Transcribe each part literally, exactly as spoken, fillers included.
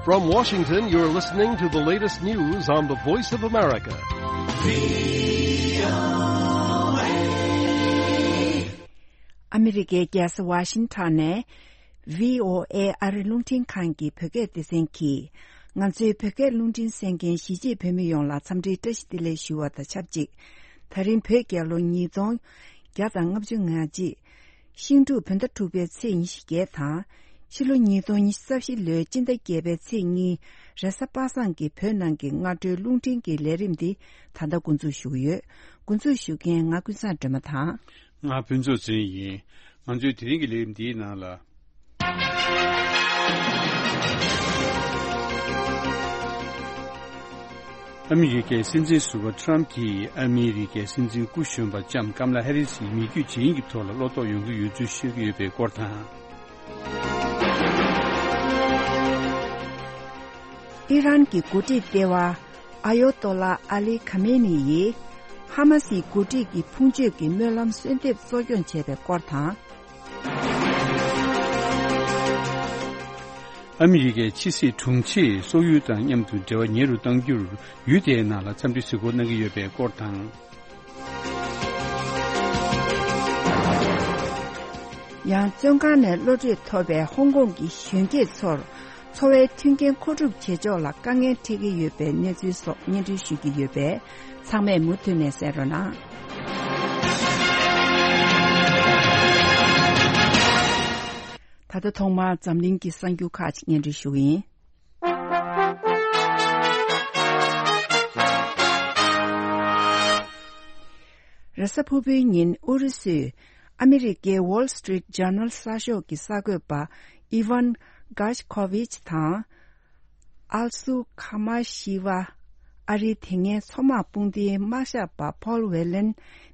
From Washington, you're listening to the latest news on the Voice of America. ཨ་མི་རི་ཀའི་རྒྱལ་ས་ཝ་ཤིང་ཊོན་ནས་བྷི་ཨོ་ཨེ་ཨ་རི་རླུང་འཕྲིན་ཁང་གི་བོད་སྐད་སྡེ་ཚན་གྱིས། ང་ཚོའི་བོད་སྐད་རླུང་འཕྲིན་གསན་མཁན་གཞིས་བྱེས་བོད་མི་ཡོངས་ལ་འཚམས་འདྲིའི་བཀྲ་ཤིས་བདེ་ལེགས་ཞུ་བ་དང་ཆབས་ཅིག་ད་རིང་བོད་རྒྱལ་ལོ་ཉིས་སྟོང་བརྒྱ་དང་ལྔ་བཅུ་ང་གཅིག་ཤིང་འབྲུག་བོད་ཟླ་དྲུག་པའི་ཚེས་ཉི་ཤུ་བརྒྱད་དང་། ཕྱི་ལོ་ཉིས་སྟོང་ཉི་ཤུ་རྩ་བཞི་ལོའི་སྤྱི་ཟླ་བརྒྱད་པའི་ཚེས་གཉིས། རེས་གཟའ་པ་སངས་ཀྱི་བོད་ནང་གི་སྔ་དྲོའི་རླུང་འཕྲིན་གྱི་ལས་རིམ་འདི་ད་ལྟ་འགོ་འཛུགས་ཞུ་གི་ཡོད། འགོ་འཛུགས་ཞུ་མཁན་ང་ཀུན་བཟང་སྒྲོལ་མ་དང་། ང་ཕུན་ཚོགས་ཚེ་རིང་ཡིན། ང་ཚོའི་དེ་རིང་གི་ལས་རིམ་འདིའི་ནང་ལ། ཨ་མི་རི་ཀའི་སྲིད་འཛིན་ཟུར་པ་ཊ་རམ་གྱིས་ཨ་མི་རི་ཀའི་སྲིད་འཛིན་སྐུ་གཞོན་པ་ལྕམ་ཀམ་ལ་ཧེ་རི་སི་ཡི་མི་རྒྱུད་ཇི་ཡིན་གྱི་ཐོག་ལ་བློ་དོགས་ཡོང་གི་ཡོད་ཚུལ་བཤད་ཀྱི་ཡོད་པའི་སྐོར་དང་། ཨི་རན་གྱི་འགོ་ཁྲིད་ལྟེ་བ་ཨ་ཡོ་ཏོ་ལ་ཨ་ལི་ཁ་མེ་ནི་ཡིས་ཧ་མ་སིའི་འགོ་ཁྲིད་ཀྱི་ཕུང་མཆོད་ཀྱི་སྨོན་ལམ་གསོལ་འདེབས་གཙོ་སྐྱོང་བྱས་པའི་སྐོར་དང་། ཨ་མི་རི་ཀའི་ཕྱི་སྲིད་དྲུང་ཆེས་སོག་ཡུལ་དང་མཉམ་དུ་འབྲེལ་བ་ཉེ་རུ་གཏང་རྒྱུར་ཡུལ་དེའི་ནང་ལ་འཚམས་འདྲི་གཟིགས་སྐོར་གནང་གི་ཡོད་པའི་སྐོར་དང་། ཡང་བཙོན་ཁང་ནས་གློད་གྲོལ་ཐོབ་པའི་ཧོང་ཀོང་གི་གཞོན་སྐྱེས་ཚོར་འཚོ་བའི་མཐུན་རྐྱེན་མཁོ་སྒྲུབ་བྱེད་ཕྱོགས་ལ་དཀའ་ངལ་འཕྲད་ཀྱི་ཡོད་པའི་གནས་ཚུལ་སོགས་སྙན་སྒྲོན་ཞུ་རྒྱུ་ཡོད་པས། ཚང་མས་མུ་མཐུད་ནས་གསན་རོགས་གནང་། ད་ལྟ་ཐོག་མར་འཛམ་གླིང་གི་གསར་འགྱུར་ཁག་ཅིག་སྙན་སྒྲོན་ཞུ་གི་ཡིན། རེས་གཟའ་ཕུར་བུའི་ཉིན་ཨུ་རུ་སུས་ཨ་མི་རི་ཀའི་Wall Street Journal གསར་ཤོག་གི་གསར་འགོད་པ་ཨི་ཝན་གྷ་ཤ་ཁོ་ཝིཆ་དང་། ཨལ་སུ་ཁ་མ་ཤི་ཝ། ཨ་རིའི་དེ་སྔའི་མཚོ་དམག་དཔུང་སྡེའི་དམག་ཞབས་པ་ཕོལ་ཝེ་ལན།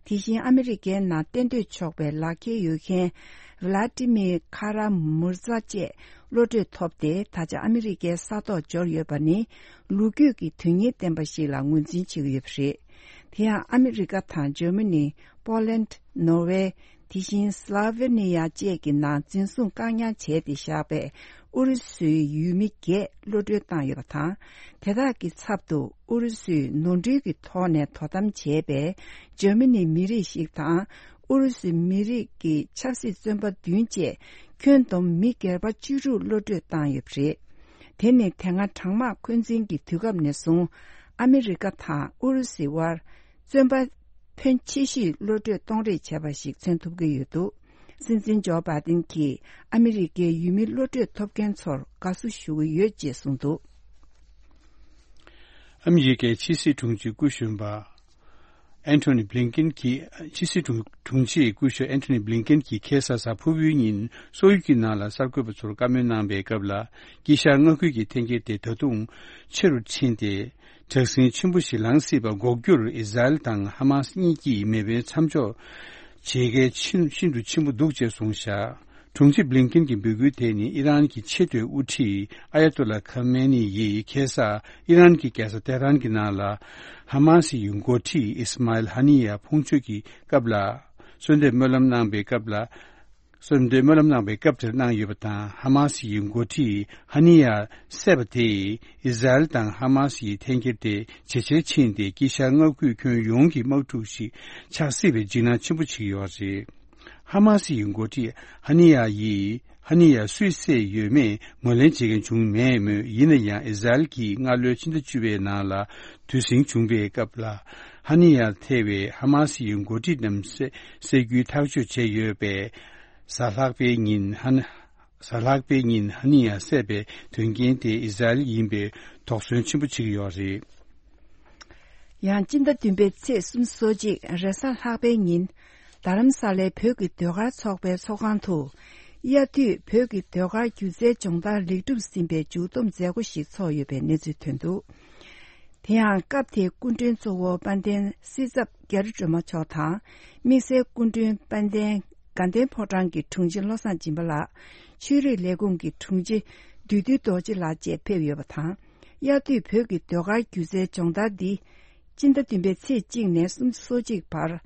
དེ་བཞིན་ཨ་མི་རི་ཀའི་ནང་གཏན་སྡོད་ཆོག་པའི་ལག་འཁྱེར་ཡོད་མཁན་ཝི་ལ་ཏི་མིར་ཁ་ར་མུར་ཛ་བཅས་གློད་གྲོལ་ཐོབ་སྟེ། ད་ཆ་ཨ་མི་རི་ཀའི་ས་ཐོག་འབྱོར་ཡོད་པ་ནི་ལོ་རྒྱུས་ཀྱི་དོན་སྙིང་ལྡན་པ་ཞིག་ལ་ངོས་འཛིན་བྱེད་ཀྱི་ཡོད་པ་རེད། དེ་ཡང་ཨ་མི་རི་ཀ་དང་ཇར་མ་ནི། པོ་ལན། ནོར་ཝེ། དེ་བཞིན་སླ་ཝེ་ནི་ཡ་བཅས་ཀྱི་ནང་འཛིན་བཟུང་བཀག་ཉར་བྱས་ཏེ་བཞག་པའི་ཨུ་རུ་སུའི་ཡུལ་མི་བརྒྱད་གློད་གྲོལ་བཏང་ཡོད་པ་དང་། དེ་དག་གི་ཚབ་ཏུ་ཨུ་རུ་སུས་ནོར་འཁྲུལ་གྱི་ཐོག་ནས་དོ་དམ་བྱས་པའི་ཇར་མ་ནིའི་མི་རིགས་ཤིག་དང་། ཨུ་རུ་སུའི་མི་རིགས་ཀྱི་ཆབ་སྲིད་བཙོན་པ་བདུན་བཅས་ཁྱོན་བསྡོམས་མི་སྒེར་པ་བཅུ་དྲུག་གློད་གྲོལ་བཏང་ཡོད་པ་རེད། དེ་ནི་དེ་སྔ་གྲང་དམག་འཁོན་འཛིན་གྱི་དུས་སྐབས་ནས་བཟུང་ཨ་མི་རི་ཀ་དང་ཨུ་རུ་སུའི་དབར། བཙོན་པ་ཕོན་ཆེ་ཤོས་གློད་གྲོལ་གཏོང་རེས་བྱས་པ་ཞིག་མཚོན་ཐུབ་ཀྱི་ཡོད་འདུག་སྲིད་འཛིན་ཇོ་བྷའི་ཏིན་གྱིས་ཨ་མི་རི་ཀའི་ཡུལ་མི་གློད་གྲོལ་ཐོབ་མཁན་ཚོར་དགའ་བསུ་ཞུ་གི་ཡོད་ཅེས་གསུངས་འདུག་ཨ་མི་རི་ཀའི་ཕྱི་སྲིད་དྲུང་ཆེ་སྐུ་གཞོན་པ་ཨན་ཐོ་ནི་བྷི་ལིན་ཀེན་གྱིས། ཕྱི་སྲིད་དྲུང་དྲུང་ཆེའི་སྐུ་ཞབས་ཨན་ཐོ་ནི་བྷི་ལིན་ཀེན་གྱིས་ཁ་སང་གཟའ་ཕུར་བུའི་ཉིན་སོག་ཡུལ་གྱི་ནང་ལ་གསར་འགོད་པ་ཚོར་བཀའ་མོལ་གནང་པའི་སྐབས་ལ། དཀྱིལ་ཤར་མངའ་ཁུལ་གྱི་འཐེན་འཁྱེར་དེ་ད་དུང་ཆེ་རུ་ཕྱིན་ཏེ། དྲག་ཟིང་ཆེན་པོ་ཞིག་ལངས་སྲིད་པ་འགོག་རྒྱུར་ཨི་ཟ་རེལ་དང་ཧ་མ་སི་གཉིས་ཀྱིས་མེ་འཕེན་མཚམས་འཇོག་བྱེད་གལ་ཆེན་ཤིན་ཏུ་ཆེན་པོ་འདུག་ཅེས་གསུངས་བཞག་དྲུང་ཆེ་བྷི་ལིན་ཀེན་གྱི་འབོད་སྐུལ་དེ་ནི་ཨི་རན་གྱི་ཆེས་མཐོའི་དབུ་ཁྲིད་ཨ་ཡ་ཏོ་ལ་ཁ་མེ་ནི་ཡིས་ཁ་སང་ཨི་རན་གྱི་རྒྱལ་ས་ཏེ་ཧྲན་གྱི་ནང་ལ་ཧ་མ་སི་ཡི་འགོ་ཁྲིད་ཨིས་མཱ་ཨེལ་ཧ་ནི་ཡ་ཕུང་མཆོད་ཀྱི་སྐབས་ལ་གསོལ་འདེབས་སྨོན་ལམ་གནང་པའི་སྐབས་ལ། གསོལ་འདེབས་སྨོན་ལམ་གནང་བའི་སྐབས་དེར་གནང་ཡོད་པ་དང་། ཧ་མ་སི་ཡི་འགོ་ཁྲིད་ཧ་ནི་ཡ་བསད་པ་དེས་ཨི་ཟ་རེལ་དང་ཧ་མ་སི་ཡི་འཐེན་འཁྱེར་དེ་ཇེ་ཆེར་ཕྱིན་ཏེ། དཀྱིལ་ཤར་མངའ་ཁུལ་ཁྱོན་ཡོངས་ཀྱི་དམག་འཁྲུག་ཞིག་ཆགས་སྲིད་པའི་འཇིགས་སྣང་ཆེན་པོ་བྱེད་ཀྱི་ཡོད་པ་རེད། ཧ་མ་སི་ཡི་འགོ་ཁྲིད་ཧ་ནི་ཡ་ཡིས། ཧ་ནི་ཡ་སུས་བསད་ཡོད་མེད་ངོས་ལེན་བྱེད་མཁན་བྱུང་མེད་མོད། ཡིན་ན་ཡང་ཨི་ཟ་རེལ་གྱིས་སྔ་ལོའི་ཕྱི་ཟླ་བཅུ་པའི་ནང་ལ་དུས་ཟིང་བྱུང་བའི་སྐབས་ལ། ཧ་ནི་ཡ་ཐེ་བའི་ཧ་མ་སི་ཡི་འགོ་ཁྲིད་རྣམས་བསད་བསད་རྒྱུའི་ཐག་གཅོད་བྱས་ཡོད་པས། གཟའ་ལྷག་པའི་ཉིན་ཧ་ནི། གཟའ་ལྷག་པའི་ཉིན་ཧ་ནི་ཡ་བསད་པའི་དོན་རྐྱེན་དེ་ཨི་ཟ་རེལ་ཡིན་པའི་དོགས་ཟོན་ཆེན་པོ་བྱེད་ཀྱི་ཡོད་རེད། ཡང་སྤྱི་ཟླ་བདུན་པའི་ཚེས་སོ་གཅིག་རེས་གཟའ་ལྷག་པའི་ཉིན། རྡ་རམ་ས་ལའི་བོད་ཀྱི་ཟློས་གར་ཚོགས་པའི་ཚོགས་ཁང་དུ། དབྱར་དུས་བོད་ཀྱི་ཟློས་གར་སྒྱུ་རྩལ་སྦྱོང་བརྡར་ལེགས་གྲུབ་ཟིན་པའི་མཇུག་བསྡོམས་མཛད་སྒོ་ཞིག་ཚོགས་ཡོད་པའི་གནས་ཚུལ་ཐོན་འདུག་དེ་ཡང་སྐབས་དེའི་སྐུ་མགྲོན་གཙོ་བོ་དཔལ་ལྡན་སྲིད་ཚབ་རྒྱ་རི་སྒྲོལ་མ་མཆོག་དང་། དམིགས་བསལ་སྐུ་མགྲོན་དཔལ་ལྡན་དགའ་ལྡན་ཕོ་བྲང་གི་དྲུང་ཆེ་བློ་བཟང་སྦྱིན་པ་ལགས། ཆོས་རིག་ལས་ཁུངས་ཀྱི་དྲུང་ཆེ་བདུད་འདུལ་རྡོ་རྗེ་ལགས་བཅས་ཕེབས་ཡོད་པ་དང་། དབྱར་དུས་བོད་ཀྱི་ཟློས་གར་སྒྱུ་རྩལ་སྦྱོང་བརྡར་འདི། སྤྱི་ཟླ་བདུན་པའི་ཚེས་གཅིག་ནས་སོ་གཅིག་བར།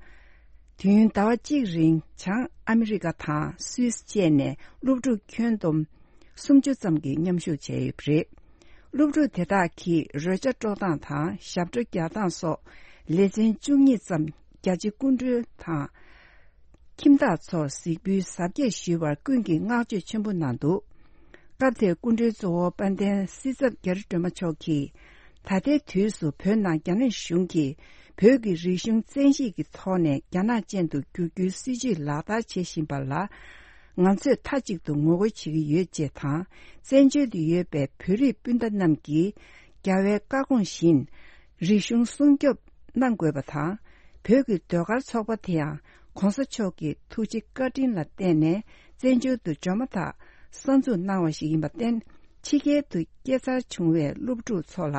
དུས་ཡུན་ཟླ་བ་གཅིག་རིང་བྱང་ཨ་མི་རི་ཀ་དང་སུད་སི་བཅས་ནས་སློབ་ཕྲུག་ཁྱོན་བསྡོམས་སུམ་ཅུ་ཙམ་གྱིས་མཉམ་ཞུགས་བྱས་ཡོད་པ་རེད། སློབ་ཕྲུག་དེ་དག་གིས་རོལ་ཆ་དཀྲོལ་སྟངས་དང་ཞབས་བྲོ་རྒྱག་སྟངས་སོགས་ལེ་ཚན་བཅུ་གཉིས་ཙམ་རྒྱ་ཆེ་སྐུ་མགྲོན་དང་ཁྱིམ་བདག་ཚོར་གཟིགས་འབུལ་གཟབ་རྒྱས་ཞུས་པར་ཀུན་གྱིས་བསྔགས་བརྗོད་ཆེན་པོ་གནང་འདུག་སྐབས་དེར་སྐུ་མགྲོན་གཙོ་བོ་དཔལ་ལྡན་སྲིད་ཚབ་རྒྱ་རི་སྒྲོལ་མ་མཆོག་གིས། ད་ལྟའི་དུས་སུ་བོད་ནང་རྒྱ་ནག་གཞུང་གིས་བོད་ཀྱི་རིག་གཞུང་བཙན་ཤེད་ཀྱི་ཐོག་ནས་རྒྱ་ནག་ཅན་དུ་བསྒྱུར་རྒྱུའི་སྲིད་བྱུས་ལག་བསྟར་བྱེད་བཞིན་པ་ལ། ང་ཚོས་མཐའ་གཅིག་ཏུ་ངོ་རྒོལ་བྱེད་ཀྱི་ཡོད་ཅེས་དང་། བཙན་བྱོལ་དུ་ཡོད་པའི་བོད་རིགས་སྤུན་ཟླ་རྣམས་ཀྱིས་རྒྱལ་བའི་བཀའ་དགོངས་བཞིན་རིག་གཞུང་སྲུང་སྐྱོབ་གནང་དགོས་པ་དང་། བོད་ཀྱི་ཟློས་གར་ཚོགས་པ་དེ་ཡང་གོང་ས་མཆོག་གི་ཐུགས་རྗེ་བཀའ་དྲིན་ལ་བརྟེན་ནས་བཙན་བྱོལ་དུ་འབྱོར་མ་ཐག་གསར་འཛུགས་གནང་བ་ཞིག་ཡིན་པར་བརྟེན། ཕྱི་རྒྱལ་དུ་སྐྱེས་འཚར་བྱུང་བའི་སློབ་ཕྲུག་ཚོ་ལ་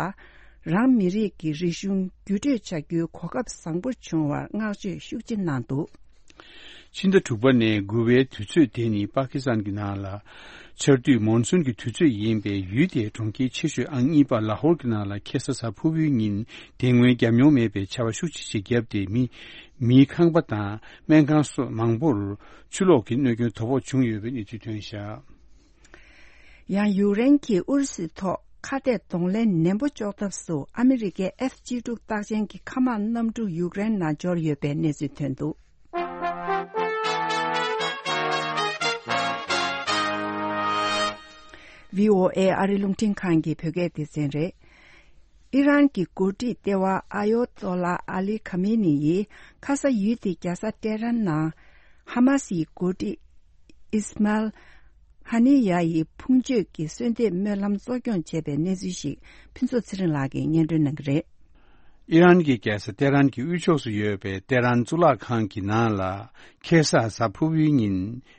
རང་མི་རིགས་ཀྱི་རིག་གཞུང་བརྒྱུད་སྤྲོད་བྱ་རྒྱུའི་གོ་སྐབས་བཟང་པོ་བྱུང་བར་བསྔགས་བརྗོད་ཤུགས་ཆེ་གནང་འདུག་ཕྱི་ཟླ་དྲུག་པ་ནས་དགུ་པའི་དུས་ཚོད་དེ་ནི་པ་ཀི་སི་ཐན་གྱི་ནང་ལ་ཆར་དུས་མོན་སུན་གྱི་དུས་ཚོད་ཡིན་པས། ཡུལ་དེའི་གྲོང་ཁྱེར་ཆེ་ཤོས་ཨང་གཉིས་པ་ལ་ཧོར་གྱི་ནང་ལ་ཁ་སང་གཟའ་ཕུར་བུའི་ཉིན་དེ་སྔོན་བརྒྱབ་མྱོང་མེད་པའི་ཆར་པ་ཤུགས་ཆེ་ཞིག་བརྒྱབ་སྟེ། མི་མིའི་ཁང་པ་དང་སྨན་ཁང་སོགས་མང་པོར་ཆུ་ལོག་གི་གནོད་སྐྱོན་དོ་ཕོག་བྱུང་ཡོད་པའི་གནས་ཚུལ་ཐོན་བཞག་ཡང་ཡུཀ་རེན་གྱིས་ཨུ་རུ་སུའི་ཐོག་ཁ་གཏད་གདོང་ལེན་ནན་པོ་གཅོག་ཐབས་སུ་ཨ་མི་རི་ཀའི་ཨེཕ་གཅིག་དྲུག་རྟགས་ཅན་གྱི་མཁའ་དམག་གནམ་གྲུ་ཡུཀ་རེན་ནང་འབྱོར་ཡོད་པའི་གནས་ཚུལ་ཐོན་འདུག་བྷི་ཨོ་ཨེ་ཨ་རི་རླུང་འཕྲིན་ཁང་གི་བོད་སྐད་སྡེ་ཚན་རེད། ཨི་རན་གྱི་འགོ་ཁྲིད་ལྟེ་བ་ཨ་ཡོ་ཏོ་ལ་ཨ་ལི་ཁ་མེ་ནི་ཡིས་ཁ་ས་ཡུལ་དེའི་རྒྱལ་ས་ཏེ་རན་ནང་ཧ་མ་སིའི་འགོ་ཁྲིད་ཨིས་མཱལ་ཧ་ནི་ཡ་ཡི་ཕུང་མཆོད་ཀྱི་གསོལ་འདེབས་སྨོན་ལམ་གཙོ་སྐྱོང་བྱས་པའི་གནས་ཚུལ་ཞིག་ཕུན་ཚོགས་ཚེ་རིང་ལགས་ཀྱིས་སྙན་སྒྲོན་གནང་གི་རེད། ཨི་རན་གྱི་རྒྱལ་ས་ཏེ་རན་གྱི་དབུས་ཕྱོགས་སུ་ཡོད་པའི་ཏེ་རན་གཙུག་ལག་ཁང་གི་ནང་ལ་ཁ་སང་གཟའ་ཕུར་བུའི་ཉིན་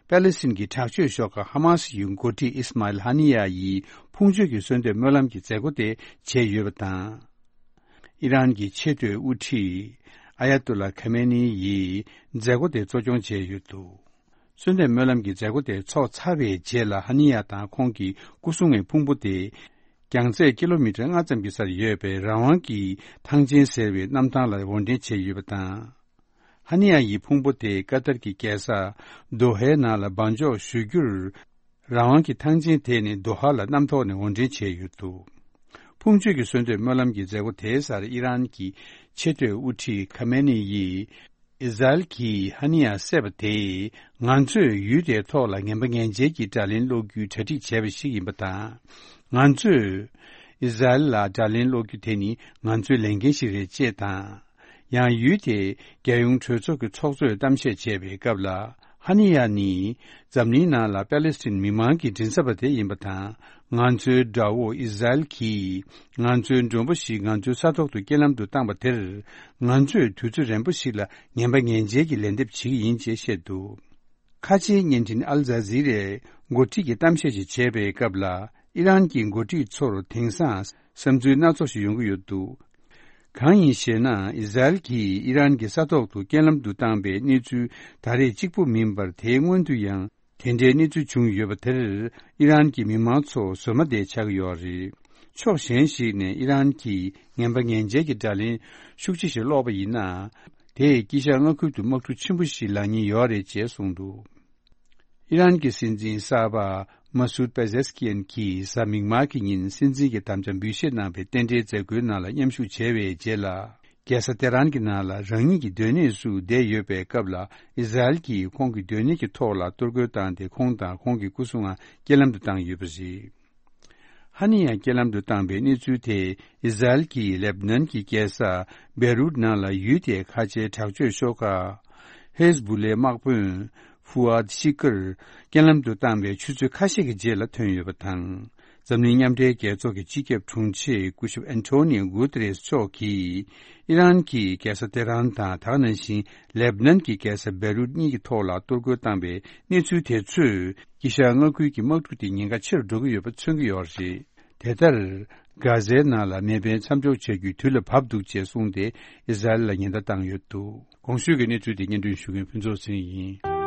པེ་ལེ་སི་ཐན་གྱི་དྲག་སྤྱོད་ཤོག་ཁག་ཧ་མ་སི་ཡི་འགོ་ཁྲིད་ཨིས་མཱ་ཨིལ་ཧ་ནི་ཡ་ཡི་ཕུང་མཆོད་ཀྱི་གསོལ་འདེབས་སྨོན་ལམ་གྱི་མཛད་སྒོ་དེ་བྱས་ཡོད་པ་དང་། ཨི་རན་གྱི་ཆེས་མཐོའི་དབུ་ཁྲིད་ཨ་ཡ་ཏུ་ལ་ཁ་མེ་ནི་ཡིས་མཛད་སྒོ་དེ་གཙོ་སྐྱོང་བྱས་ཡོད་འདུག་གསོལ་འདེབས་སྨོན་ལམ་གྱི་མཛད་སྒོ་དེ་ཚོགས་ཚར་བའི་རྗེས་ལ་ཧ་ནི་ཡ་དང་ཁོང་གི་སྐུ་སྲུང་བའི་ཕུང་པོ་དེ་རྒྱང་ཚད་ཀི་ལོ་མི་ཊར་ལྔ་ཙམ་གྱི་སར་ཡོད་པའི་རང་དབང་གི་ཐང་ཆེན་ཟེར་བའི་གནམ་ཐང་ལ་དབོར་འདྲེན་བྱས་ཡོད་པ་དང་། ཧ་ནི་ཡ་ཡི་ཕུང་པོ་དེ་ཀ་ཏར་གྱི་རྒྱལ་ས་དོ་ཧའི་ནང་ལ་འབག་འཇོག་ཞུ་རྒྱུར། རང་དབང་གི་ཐང་ཆེན་དེ་ནི་དོ་ཧ་ལ་གནམ་ཐོག་ནས་དབོར་འདྲེན་བྱས་ཡོད་འདུག་ཕུང་མཆོད་ཀྱི་གསོལ་འདེབས་སྨོན་ལམ་གྱི་མཛད་སྒོ་དེའི་སར་ཨི་རན་གྱི་ཆེས་མཐོའི་དབུ་ཁྲིད་ཁ་མེ་ནི་ཡིས། ཨིས་ར་ཨེལ་གྱིས་ཧ་ནི་ཡ་བསད་པ་དེས་ང་ཚོས་ཡུལ་དེའི་ཐོག་ལ་ངན་པ་ངན་འཇལ་གྱི་དགྲ་ལན་སློག་རྒྱུའི་གྲ་སྒྲིག་བྱས་པ་ཞིག་ཡིན་པ་དང་། ང་ཚོས་ཨིས་ར་ཨེལ་ལ་དགྲ་ལན་སློག་རྒྱུ་དེ་ནི་ང་ཚོའི་ལས་འགན་ཞིག་རེད་ཅེས་དང་། ཡང་ཡུལ་དེའི་རྒྱལ་ཡོངས་གྲོས་ཚོགས་ཀྱི་ཚོགས་གཙོས་གཏམ་བཤད་བྱས་པའི་སྐབས་ལ། ཧ་ནི་ཡ་ནི་འཛམ་གླིང་ནང་ལ་པེ་ལེ་སི་ཐན་མི་མང་གི་མགྲིན་ཚབ་པ་དེ་ཡིན་པ་དང་། ང་ཚོའི་དགྲ་བོ་ཨིས་ར་ཨེལ་གྱིས་ང་ཚོའི་མགྲོན་པོ་ཞིག་ང་ཚོའི་ས་ཐོག་ཏུ་རྐྱེན་ལམ་དུ་བཏང་པ་དེར། ང་ཚོས་དུས་ཚོད་རན་པོ་ཞིག་ལ་ངན་པ་ངན་འཇལ་གྱི་ལན་འདེབས་བྱེད་ཀྱི་ཡིན་ཅེས་བཤད་འདུག་ཁ་ཆེའི་བརྙན་འཕྲིན་ཨལ་ཛ་ཛི་རའི་འགོ་ཁྲིད་ཀྱིས་གཏམ་བཤད་ཅིག་བྱས་པའི་སྐབས་ལ། ཨི་རན་གྱི་འགོ་ཁྲིད་ཚོར་དེང་སང་བསམ་ཚུལ་སྣ་ཚོགས་ཤིག་ཡོང་གི་ཡོད་འདུག་གང་ཡིན་ཞེ་ན། ཨིས་ར་ཨེལ་གྱིས་ཨི་རན་གྱི་ས་ཐོག་ཏུ་རྐྱེན་ལམ་དུ་བཏང་པའི་གནས་ཚུལ་ད་རེས་གཅིག་པུ་མིན་པར། དེའི་སྔོན་དུ་ཡང་དེ་འདྲའི་གནས་ཚུལ་བྱུང་ཡོད་པ་དེར། ཨི་རན་གྱི་མི་མང་ཚོ་བཟོད་མ་བདེ་ཆགས་ཀྱི་ཡོད་རེད། ཕྱོགས་གཞན་ཞིག་ནས་ཨི་རན་གྱིས་ངན་པ་ངན་འཇལ་གྱི་དགྲ་ལན་ཤུགས་ཆེ་ཞིག་སློག་པ་ཡིན་ན། དེས་དཀྱིལ་ཤར་མངའ་ཁུལ་དུ་དམག་འཁྲུག་ཆེན་པོ་ཞིག་ལངས་ཉེན་ཡོད་རེད་ཅེས་གསུངས་འདུག་ཨི་རན་གྱི་སྲིད་འཛིན་གསར་པ་མ་སུད་པེ་ཛེ་སི་ཀི་ཡན་གྱིས་གཟའ་མིག་དམར་གྱི་ཉིན་སྲིད་འཛིན་གྱི་དམ་བཅའ་འབུལ་བཞེས་གནང་བའི་རྟེན་འབྲེལ་མཛད་སྒོའི་ནང་ལ་མཉམ་ཞུགས་བྱས་པའི་རྗེས་ལ། རྒྱལ་ས་ཏེ་རན་གྱི་ནང་ལ་རང་ཉིད་ཀྱི་སྡོད་གནས་སུ་བསྡད་ཡོད་པའི་སྐབས་ལ། ཨིས་ར་ཨེལ་གྱིས་ཁོང་གི་སྡོད་གནས་ཀྱི་ཐོག་ལ་གཏོར་རྒོལ་བཏང་སྟེ། ཁོང་དང་ཁོང་གི་སྐུ་སྲུང་བ་རྐྱེན་ལམ་དུ་བཏང་ཡོད་པ་རེད། ཧ་ནི་ཡ་རྐྱེན་ལམ་དུ་བཏང་པའི་གནས་ཚུལ་དེ། ཨིས་ར་ཨེལ་གྱིས་ལེབ་ནན་གྱི་རྒྱལ་ས་བེ་རུད་ནང་ལ་ཡུལ་དེའི་ཁ་ཆེའི་དྲག་སྤྱོད་ཤོག་ཁག་ཧེ་ཟ་བུ་ལའི་དམག་དཔོན་ཧྥུ་ཨད་ཤི་ཀར་རྐྱེན་ལམ་དུ་བཏང་བའི་ཆུ་ཚོད་ཁ་ཤས་ཀྱི་རྗེས་ལ་ཐོན་ཡོད་པ་དང་། འཛམ་གླིང་མཉམ་འབྲེལ་རྒྱལ་ཚོགས་ཀྱི་སྤྱི་ཁྱབ་དྲུང་ཆེ་སྐུ་ཞབས་ཨན་ཐོ་ནིའོ་གུ་ཏེ་རེས་མཆོག་གིས། ཨི་རན་གྱིས་རྒྱལ་ས་ཏེ་རན་དང་། ད་ག་ནང་བཞིན་ལེབ་ནན་གྱི་རྒྱལ་ས་བེ་རུད་གཉིས་ཀྱི་ཐོག་ལ་གཏོར་རྒོལ་བཏང་པའི་གནས་ཚུལ་དེ་ཚོས། དཀྱིལ་ཤར་མངའ་ཁུལ་གྱི་དམག་འཁྲུག་དེ་ཉེན་ཁ་ཆེ་རུ་འགྲོ་གི་ཡོད་པ་མཚོན་གྱི་ཡོད་རེད། དེ་ལྟར། གྷ་ཟའི་ནང་ལ་མེ་འཕེན་མཚམས་འཇོག་བྱ་རྒྱུའི་དུས་ལ་བབ་འདུག་ཅེས་གསུངས་ཏེ། ཨིས་ར་ཨེལ་ལ་ཉེན་བརྡ་བཏང་ཡོད་འདུག་གོང་ཞུས་ཀྱི་གནས་ཚུལ་དེ་སྙན་སྒྲོན་ཞུ་མཁན་ཕུན་ཚོགས་ཚེ་རིང་ཡིན།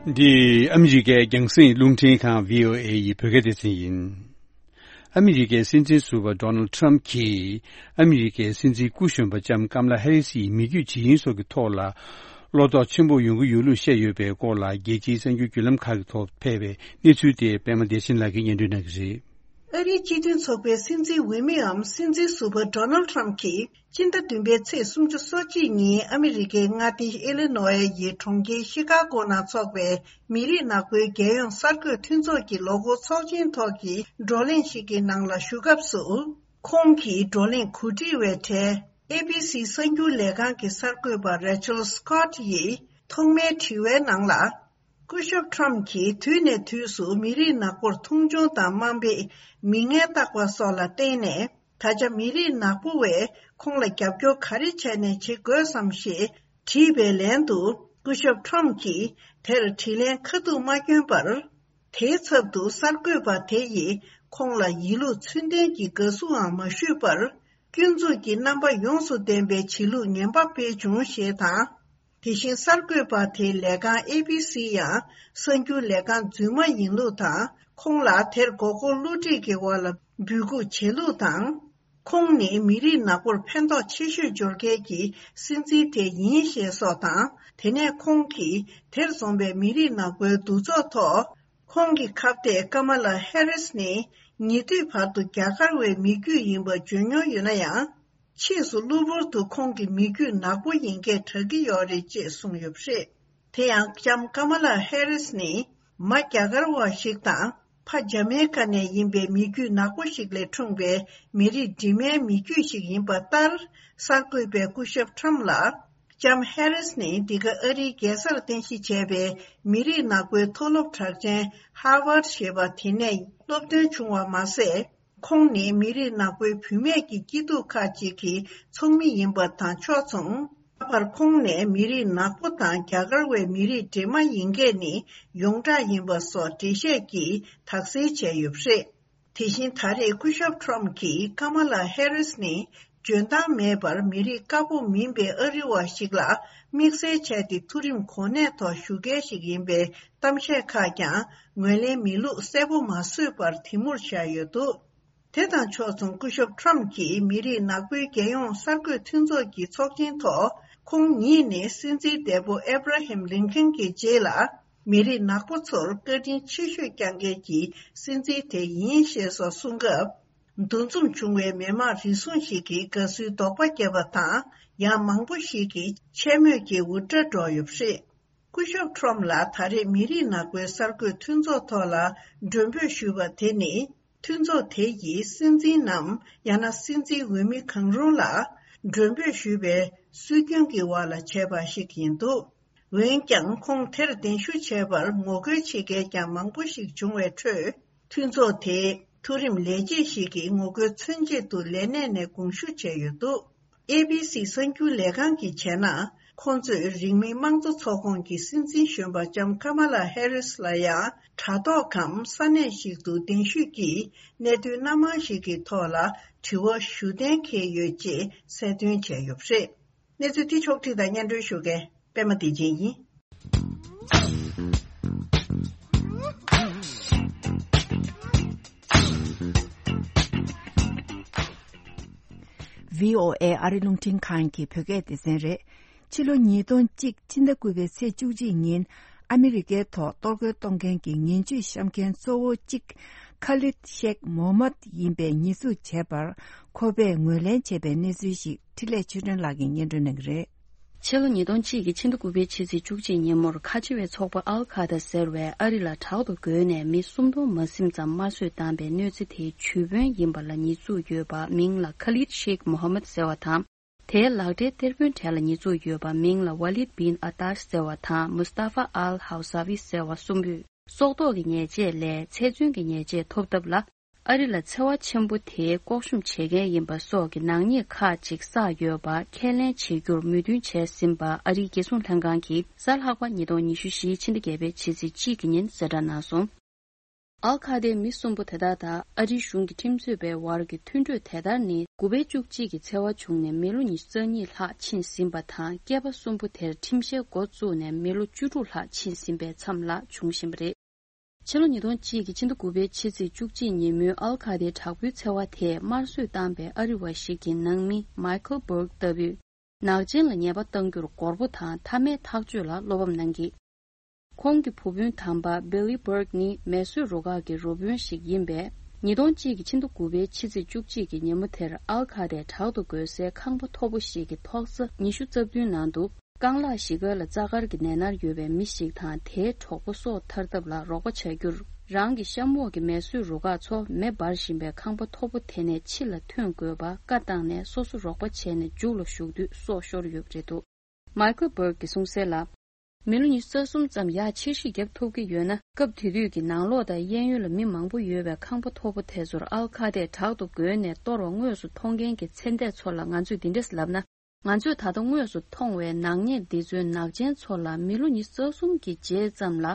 འདི་ཨ་མི་རི་ཀའི་རྒྱང་སྲིང་རླུང་འཕྲིན་ཁང་བྷི་ཨོ་ཨེ་ཡི་བོད་སྐད་སྡེ་ཚན་ཡིན། ཨ་མི་རི་ཀའི་སྲིད་འཛིན་ཟུར་པ་ཌོ་ནལ་ཌི་ཊརམ་གྱིས་ཨ་མི་རི་ཀའི་སྲིད་འཛིན་སྐུ་གཞོན་པ་ལྕམ་ཀམ་ལ་ཧེ་རི་སི་ཡི་མི་རྒྱུད་ཇི་ཡིན་སོགས་ཀྱི་ཐོག་ལ་བློ་དོགས་ཆེན་པོ་ཡོང་གི་ཡོད་ལུགས་བཤད་ཡོད་པའི་སྐོར་ལ། རྒྱལ་སྤྱིའི་གསར་འགྱུར་བརྒྱུད་ལམ་ཁག་གི་ཐོག་ཕེབས་པའི་གནས་ཚུལ་དེ་པད་མ་བདེ་ཆེན་ལགས་ཀྱིས་སྙན་སྒྲོན་གནང་གི་རེད། ཨ་རིའི་སྤྱི་མཐུན་ཚོགས་པའི་སྲིད་འཛིན་འོས་མིའམ་སྲིད་འཛིན་ཟུར་པ་ཌོ་ནལ་ཌི་ཊརམ་གྱིས་སྤྱི་ཟླ་བདུན་པའི་ཚེས་སུམ་ཅུ་སོ་གཅིག་ཉིན་ཨ་མི་རི་ཀའི་མངའ་སྡེ་ཨི་ལི་ནོ་ཨེ་ཡི་གྲོང་ཁྱེར་ཤི་ཀ་གོ་ནང་འཚོགས་པའི་མི་རིགས་ནག་པོའི་རྒྱལ་ཡོངས་གསར་འགོད་མཐུན་ཚོགས་ཀྱི་ལོ་འཁོར་ཚོགས་ཆེན་ཐོག་གི་བགྲོ་གླེང་ཞིག་གི་ནང་ལ་ཞུགས་སྐབས་སུ། ཁོང་གིས་བགྲོ་གླེང་གོ་སྒྲིག་པའི་གྲས་ཨེ་བི་སི་གསར་འགྱུར་ལས་ཁང་གི་གསར་འགོད་པ་རེ་ཆལ་སི་ཀོ་ཊི་ཡིས་ཐོག་མའི་དྲི་བའི་ནང་ལ། སྐུ་ཞབས་ཊརམ་གྱིས་དུས་ནས་དུས་སུ་མི་རིགས་ནག་པོར་མཐོང་ཆུང་དང་དམའ་འབེབས། མིང་ངན་བཏགས་པ་སོགས་ལ་བརྟེན་ནས། ད་ཆ་མི་རིགས་ནག་པོ་བས་ཁོང་ལ་རྒྱབ་སྐྱོར་ག་རེ་བྱས་ནས་བྱེད་དགོས་སམ་ཞེས་དྲིས་པའི་ལན་དུ། སྐུ་ཞབས་ཊརམ་གྱིས་དེར་དྲིས་ལན་ཁ་ཐུག་མ་བསྐྱོན་པར། དེའི་ཚབ་ཏུ་གསར་འགོད་པ་དེ་ཡིས་ཁོང་ལ་ཡིད་ལུགས་ཚུལ་ལྡན་གྱི་དགའ་བསུའང་མ་ཞུས་པར། སྐྱོན་འཛུགས་ཀྱི་རྣམ་པ་ཡོངས་སུ་ལྡན་པའི་བྱེད་ལུགས་ངན་པ་སྤེལ་བྱུང་ཞེས་དང་། དེ་བཞིན་གསར་འགོད་པ་དེའི་ལས་ཁང་ཨེ་བི་སི་ཡང་གསར་འགྱུར་ལས་ཁང་རྫུན་མ་ཡིན་ལུགས་དང་། ཁོང་ལ་དེར་མགོ་སྐོར་བསླུ་བྲིད་ཀྱི་འོག་ལ་འབོད་འགུག་བྱེད་ལུགས་དང་། ཁོང་ནི་མི་རིགས་ནག་པོར་ཕན་ཐོགས་ཆེ་ཤོས་འབྱོར་མཁན་གྱི་སྲིད་འཛིན་དེ་ཡིན་ཞེས་སོགས་དང་། དེ་ནས་ཁོང་གིས་དེར་འཛོམས་པའི་མི་རིགས་ནག་པོའི་འདུ་ཚོགས་ཐོག་ཁོང་གི་ཁ་གཏད་ཀ་མ་ལ་ཧེ་རིས་ནི་ཉེ་དུས་བར་དུ་རྒྱ་གར་བའི་མི་རྒྱུད་ཡིན་པ་བརྗོད་མྱོང་ཡོད་ན་ཡང་། ཕྱིས་སུ་གློ་བུར་དུ་ཁོང་གི་མི་རྒྱུད་ནག་པོ་ཡིན་སྐད་གྲགས་ཀྱི་ཡོད་རེད་ཅེས་གསུངས་ཡོད་པ་རེད། དེ་ཡང་ལྕམ་ཀ་མ་ལ་ཧེ་རིས་ནི་མ་རྒྱ་གར་བ་ཞིག་དང་། ཕ་ཇ་མེ་ཀ་ནས་ཡིན་པའི་མི་རྒྱུད་ནག་པོ་ཞིག་ལས་འཁྲུངས་པའི་མི་རིགས་འདྲེས་མའི་མི་རྒྱུད་ཞིག་ཡིན་པ་ལྟར། གསར་འགོད་པས་སྐུ་ཞབས་ཁྲམ་ལ། ལྕམ་ཧེ་རིས་ནི་འདི་ག་ཨ་རིའི་རྒྱལ་སར་རྟེན་གཞི་བྱས་པའི་མི་རིགས་ནག་པོའི་མཐོ་སློབ་གྲགས་ཅན་ཧར་ཝར་ཞེས་པ་དེ་ནས་སློབ་ཐོན་བྱུང་བ་མ་ཟད། ཁོང་ནི་མི་རིགས་ནག་པོའི་བུད་མེད་ཀྱི་སྐྱིད་སྡུག་ཁག་ཅིག་གི་ཚོགས་མི་ཡིན་པ་དང་ཕྱོགས་མཚུངས། ད་བར་ཁོང་ནས་མི་རིགས་ནག་པོ་དང་རྒྱ་གར་བའི་མི་རིགས་འདྲེས་མ་ཡིན་སྐད་ནི་ཡོངས་གྲགས་ཡིན་པ་སོགས་འགྲེལ་བཤད་ཀྱིས་དག་སེལ་བྱས་ཡོད་པ་རེད། དེ་བཞིན་ད་རེས་སྐུ་ཞབས་ཁྲོམ་གྱིས་ཀ་མ་ལ་ཧེ་རིས་ནི་འཇོན་ཐང་མེད་པར་མི་རིགས་དཀར་པོ་མིན་པའི་ཨ་རི་བ་ཞིག་ལ་དམིགས་བསལ་བྱས་ཏེ་མཐོ་རིམ་གོ་གནས་ཐོག་ཞུ་མཁན་ཞིག་ཡིན་པའི་གཏམ་བཤད་ཁག་ཀྱང་ངོས་ལེན་མེད་ལུགས་གསལ་པོ་མ་བཟོས་པར་དེ་མུར་བཞག་ཡོད་འདུག་དེ་དང་ཕྱོགས་མཚུངས་སྐུ་ཞབས་ཁྲོམ་གྱིས་མི་རིགས་ནག་པོའི་རྒྱལ་ཡོངས་གསར་འགོད་མཐུན་ཚོགས་ཀྱི་ཚོགས་ཆེན་ཐོག་ཁོང་ཉིད་ནི་སྲིད་འཛིན་འདས་པོ་ཨེབ་ར་ཧེམ་ལིན་ཁན་གྱི་རྗེས་ལ་མི་རིགས་ནག་པོ་ཚོར་བཀའ་དྲིན་ཆེ་ཤོས་བསྐྱངས་མཁན་གྱི་སྲིད་འཛིན་དེ་ཡིན་ཞེས་སོགས་གསུངས་སྐབས། འདུ་འཛོམས་བྱུང་བའི་མི་མང་རེ་ཟུང་ཞིག་གིས་དགའ་བསུའི་དོགས་པ་བརྒྱབ་པ་དང་། ཡང་མང་པོ་ཞིག་གིས་མཆན་སྨོད་ཀྱི་འུར་སྒྲ་སྒྲོག་ཡོད་པ་རེད། སྐུ་ཞབས་ཁྲོམ་ལ་ད་རེས་མི་རིགས་ནག་པོའི་གསར་འགོད་མཐུན་ཚོགས་ཐོག་ལ་མགྲོན་འབོད་ཞུས་པ་དེ་ནི། མཐུན་ཚོགས་དེ་ཡིས་སྲིད་འཛིན་ནམ་ཡང་ན་སྲིད་འཛིན་འོས་མི་གང་རུང་ལ་མགྲོན་འབོད་ཞུས་པའི་སྲོལ་རྒྱུན་གྱི་འོག་ལ་བྱས་པ་ཞིག་ཡིན་འདུག་འོན་ཀྱང་ཁོང་དེར་གདན་ཞུ་བྱས་པར་ངོ་རྒོལ་བྱེད་མཁན་ཀྱང་མང་པོ་ཞིག་བྱུང་བའི་ཁྲོད། མཐུན་ཚོགས་དེའི་མཐོ་རིམ་ལས་བྱེད་ཞིག་གིས་ངོ་རྒོལ་མཚོན་ཆེད་དུ་ལས་གནས་ནས་དགོངས་ཞུ་བྱས་ཡོད་འདུག་ཨེ་བི་སི་གསར་འགྱུར་ལས་ཁང་གིས་བྱས་ན། ཁོང་ཚོས་རིང་མིན་དམངས་གཙོ་ཚོགས་ཁོངས་ཀྱི་སྲིད་འཛིན་གཞོན་པ་ལྕམ་ཀ་མ་ལ་ཧེ་རིས་ལ་ཡང་དྲ་ཐོག་གམ་ས་གནས་ཤིག་ཏུ་གདན་ཞུས་ཀྱིས་གནད་དོན་སྣ་མང་ཞིག་གི་ཐོག་ལ་དྲི་བ་ཞུ་གཏན་འཁེལ་ཡོད་ཅེས་གསལ་སྟོན་བྱས་ཡོད་པ་རེད། གནས་ཚུལ་འདི་ཕྱོགས་བསྒྲིགས་དང་སྙན་སྒྲོན་ཞུ་མཁན་པད་མ་བདེ་ཆེན་ཡིན། ཝི་ཨོ་ཨེ་ཨ་རི་རླུང་འཕྲིན་ཁང་གི་བོད་སྐད་སྡེ་ཚན་རེད། ཕྱི་ལོ་ཉིས་སྟོང་གཅིག་ཕྱི་ཟླ་དགུ་པའི་ཚེས་བཅུ་གཅིག་ཉིན་ཨ་མི་རི་ཀའི་ཐོག་གཏོར་རྒོལ་གཏོང་མཁན་གྱི་ངན་ཇུས་བཤམས་མཁན་གཙོ་བོ་གཅིག་ཁ་ལིད་ཤེག་མོ་མད་ཡིན་པའི་ཉེས་འཛུགས་བྱས་པར་ཁོ་པས་ངོས་ལེན་བྱས་པའི་གནས་ཚུལ་ཞིག་འཕྲིན་ལས་ཆོས་སྒྲོན་ལགས་ཀྱིས་སྙན་སྒྲོན་གནང་གི་རེད། ཕྱི་ལོ་ཉིས་སྟོང་གཅིག་གི་ཕྱི་ཟླ་དགུ་པའི་ཕྱི་ཚེས་བཅུ་གཅིག་ཉིན་མོར་ཁ་ཆེ་བའི་ཚོགས་པ་ཨལ་ཁ་ད་ཟེར་བས་ཨ་རི་ལ་དྲག་ཏུ་རྒོལ་ནས་མི་སུམ་སྟོང་མ་ཟིན་ཙམ་དམར་གསོད་བཏང་པའི་གནོད་འཚེ་དེའི་ཇུས་དཔོན་ཡིན་པ་ལ་ཉེས་འཛུགས་ཡོད་པ་མིང་ལ་ཁ་ལིད་ཤེག་མོ་ཧ་མད་ཟེར་བ་དང་། དེའི་ལག་སྦྲེལ་གཏེར་དཔོན་གྲས་ལ་ཉེས་འཛུགས་ཡོད་པ་མིང་ལ་ཝ་ལིད་བིན་ཨ་ཏཱཤ་ཟེར་བ་དང་མུ་སྟ་ཧྥ་ཨལ་ཧའུ་ས་ཝི་ཟེར་བ་གསུམ་པོས། སྲོག་ཐོག་གི་ཉེས་ཆད་ལས་ཚེ་བཙོན་གྱི་ཉེས་ཆད་ཐོབ་ཐབས་ལ། ཨ་རི་ལ་འཚེ་བ་ཆེན་པོ་དེའི་ལྐོག་ཤུམ་བྱེད་མཁན་ཡིན་པ་སོགས་ཀྱི་ནག་ཉེས་ཁག་ཅིག་བསགས་ཡོད་པ་ཁས་ལེན་བྱེད་རྒྱུར་མོས་མཐུན་བྱས་ཟིན་པ་ཨ་རིའི་རྒྱལ་སྲུང་ལྷན་ཁང་གིས་གཟའ་ལྷག་པ་ཉིས་སྟོང་ཉི་ཤུ་རྩ་བཞིའི་ཕྱི་ཟླ་བརྒྱད་པའི་ཕྱི་ཚེས་གཅིག་གི་ཉིན་གསལ་བསྒྲགས་གནང་སོང་། ཨལ་ཁ་ཏའི་མི་གསུམ་པོ་དེ་དག་དང་ཨ་རིའི་གཞུང་གི་ཁྲིམས་རྩོད་པའི་བར་གྱི་མཐུན་གྲོས་དེ་ལྟར་ནི། དགུ་པའི་བཅུ་གཅིག་གི་འཚེ་བ་བྱུང་ནས་མི་ལོ་ཉི་ཤུ་རྩ་གཉིས་ལྷག་ཕྱིན་ཟིན་པ་དང་། སྐྱེས་པ་གསུམ་པོ་དེར་ཁྲིམས་བཤེར་འགོ་བཙུགས་ནས་མི་ལོ་བཅུ་དྲུག་ལྷག་ཕྱིན་ཟིན་པའི་མཚམས་ལ་བྱུང་བཞིན་པ་རེད། ཕྱི་ལོ་ཉིས་སྟོང་གཅིག་གི་ཕྱི་ཟླ་དགུ་པའི་ཕྱི་ཚེས་བཅུ་གཅིག་ཉིན་མོའི་ཨལ་ཁ་ཏའི་དྲག་པོའི་འཚེ་བ་དེས་དམར་གསོད་བཏང་པའི་ཨ་རི་བ་ཞིག་གི་ནང་མི་མའི་ཁལ་སྦུརག་ལྟ་བུས། ནག་ཅན་ལ་ཉེས་པ་གཏང་རྒྱུར་མགོ་སྐོར་དང་མཐའ་མའི་ཐག་གཅོད་ལ་བློ་ཕམ་གནང་གིས། ཁོང་གི་བུ་སྤུན་དམ་པ་Billy Burke ནི་མེ་གསོད་རུ་ཁག་གི་རུ་དཔོན་ཞིག་ཡིན་པས། ཉིས་སྟོང་གཅིག་གི་ཕྱི་ཟླ་དགུ་པའི་ཕྱི་ཚེས་བཅུ་གཅིག་གི་ཉིན་མོ་དེར་ཨལ་ཁ་ཏའི་དྲག་ཏུ་རྒོལ་སའི་ཁང་པ་མཐོ་པོ་ཞིག་གི་ཐོག་ས་ཉི་ཤུ་རྩ་བདུན་ནང་དུ། རྐང་ལག་བཞི་སྒང་ལ་རྩ་དཀར་གྱི་ནད་མནར་ཡོད་པའི་མི་ཞིག་དང་དེའི་གྲོགས་པོ་སོ་ཐར་ཐབས་ལ་རོགས་པ་བྱ་རྒྱུར། རང་གི་གཤམ་འོག་གི་མེ་གསོད་རུ་ཁག་ཚོ་མེ་འབར་བཞིན་པའི་ཁང་པ་མཐོ་པོ་དེ་ནས་ཕྱི་ལ་ཐོན་དགོས་པ་བཀའ་བཏང་ནས། སོ་སོ་རོགས་པ་བྱས་ནས་མཇུག་ལ་ཞུགས་དུས་སྲོག་ཤོར་ཡོད་པ་རེད་འདུག་མའི་ཁལ་སྦུརག་གིས་གསུངས་གསལ་ལ། མི་ལོ་ཉི་ཤུ་རྩ་གསུམ་ཙམ་ཡར་ཕྱིར་བཤིག་བརྒྱབ་ཐུབ་ཀྱི་ཡོད་ན། སྐབས་དེ་དུས་ཀྱི་ནང་ལོགས་དང་གཡས་གཡོན་ལ་མི་མང་པོ་ཡོད་པའི་ཁང་པ་མཐོ་པོ་དེ་ཚོར་ཨལ་ཁ་ཏས་དྲག་ཏུ་རྒོལ་ནས་གཏོར་བ་དངོས་སུ་མཐོང་མཁན་གྱི་ཚེ་འདས་ཚོ་ལ་ང་ཚོས་འདི་འདྲས་ལབ་ན། ང་ཚོས་ད་ལྟ་དངོས་སུ་མཐོང་བའི་ནག་ཉེས་འདི་ཚོའི་ནག་ཅན་ཚོ་ལ་མི་ལོ་ཉི་ཤུ་རྩ་གསུམ་གྱི་རྗེས་ཙམ་ལ།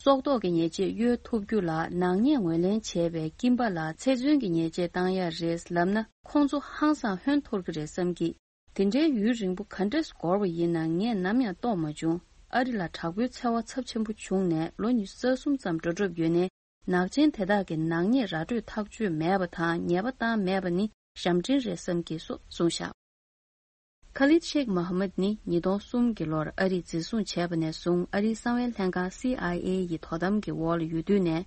སྲོག་ཐོག་གི་ཉེས་ཆད་གཡོལ་ཐུབ་རྒྱུ་ལ་ནག་ཉེས་ངོས་ལེན་བྱས་པའི་སྐྱིན་པ་ལ་ཚེ་བཙོན་གྱི་ཉེས་ཆད་བཏང་ཡ་རེད་ལབ་ན། ཁོང་ཚོ་ཧང་སང་ཧོན་འཐོར་གྱི་རེད་བསམ་གྱི། དེ་འདྲའི་ཡུན་རིང་པོ་ག་འདྲས་འགོར་བ་ཡིན་ན་ངས་ནམ་ཡང་རྟོགས་མ་བྱུང་། ཨ་རི་ལ་དྲག་པོའི་འཚེ་བ་ཚབས་ཆེན་པོ་བྱུང་ནས་ལོ་ཉི་ཤུ་རྩ་གསུམ་ཙམ་འགྲོ་གྲབས་ཡོད་ནའི། ནག་ཅན་དེ་དག་གི་ནག་ཉེས་ར་སྤྲོད་ཐག་གཅོད་མེད་པ་དང་ཉེས་པ་བཏང་མེད་པ་ནི་ཞབས་འདྲེན་རེད་བསམ་གྱི་སོགས་གསུངས་བཞག་ཁ་ལིད་ཤེག་མོ་ཧ་མད་ནི་ཉིས་སྟོང་གསུམ་གྱི་ལོར་ཨ་རིས་འཛིན་བཟུང་བྱས་པ་ནས་བཟུང་ཨ་རིའི་གསང་བའི་ལྷན་ཁང་སི་ཨའི་ཨེ་ཡི་དོ་དམ་གྱི་འོག་ལ་ཡོད་དུས་ནས།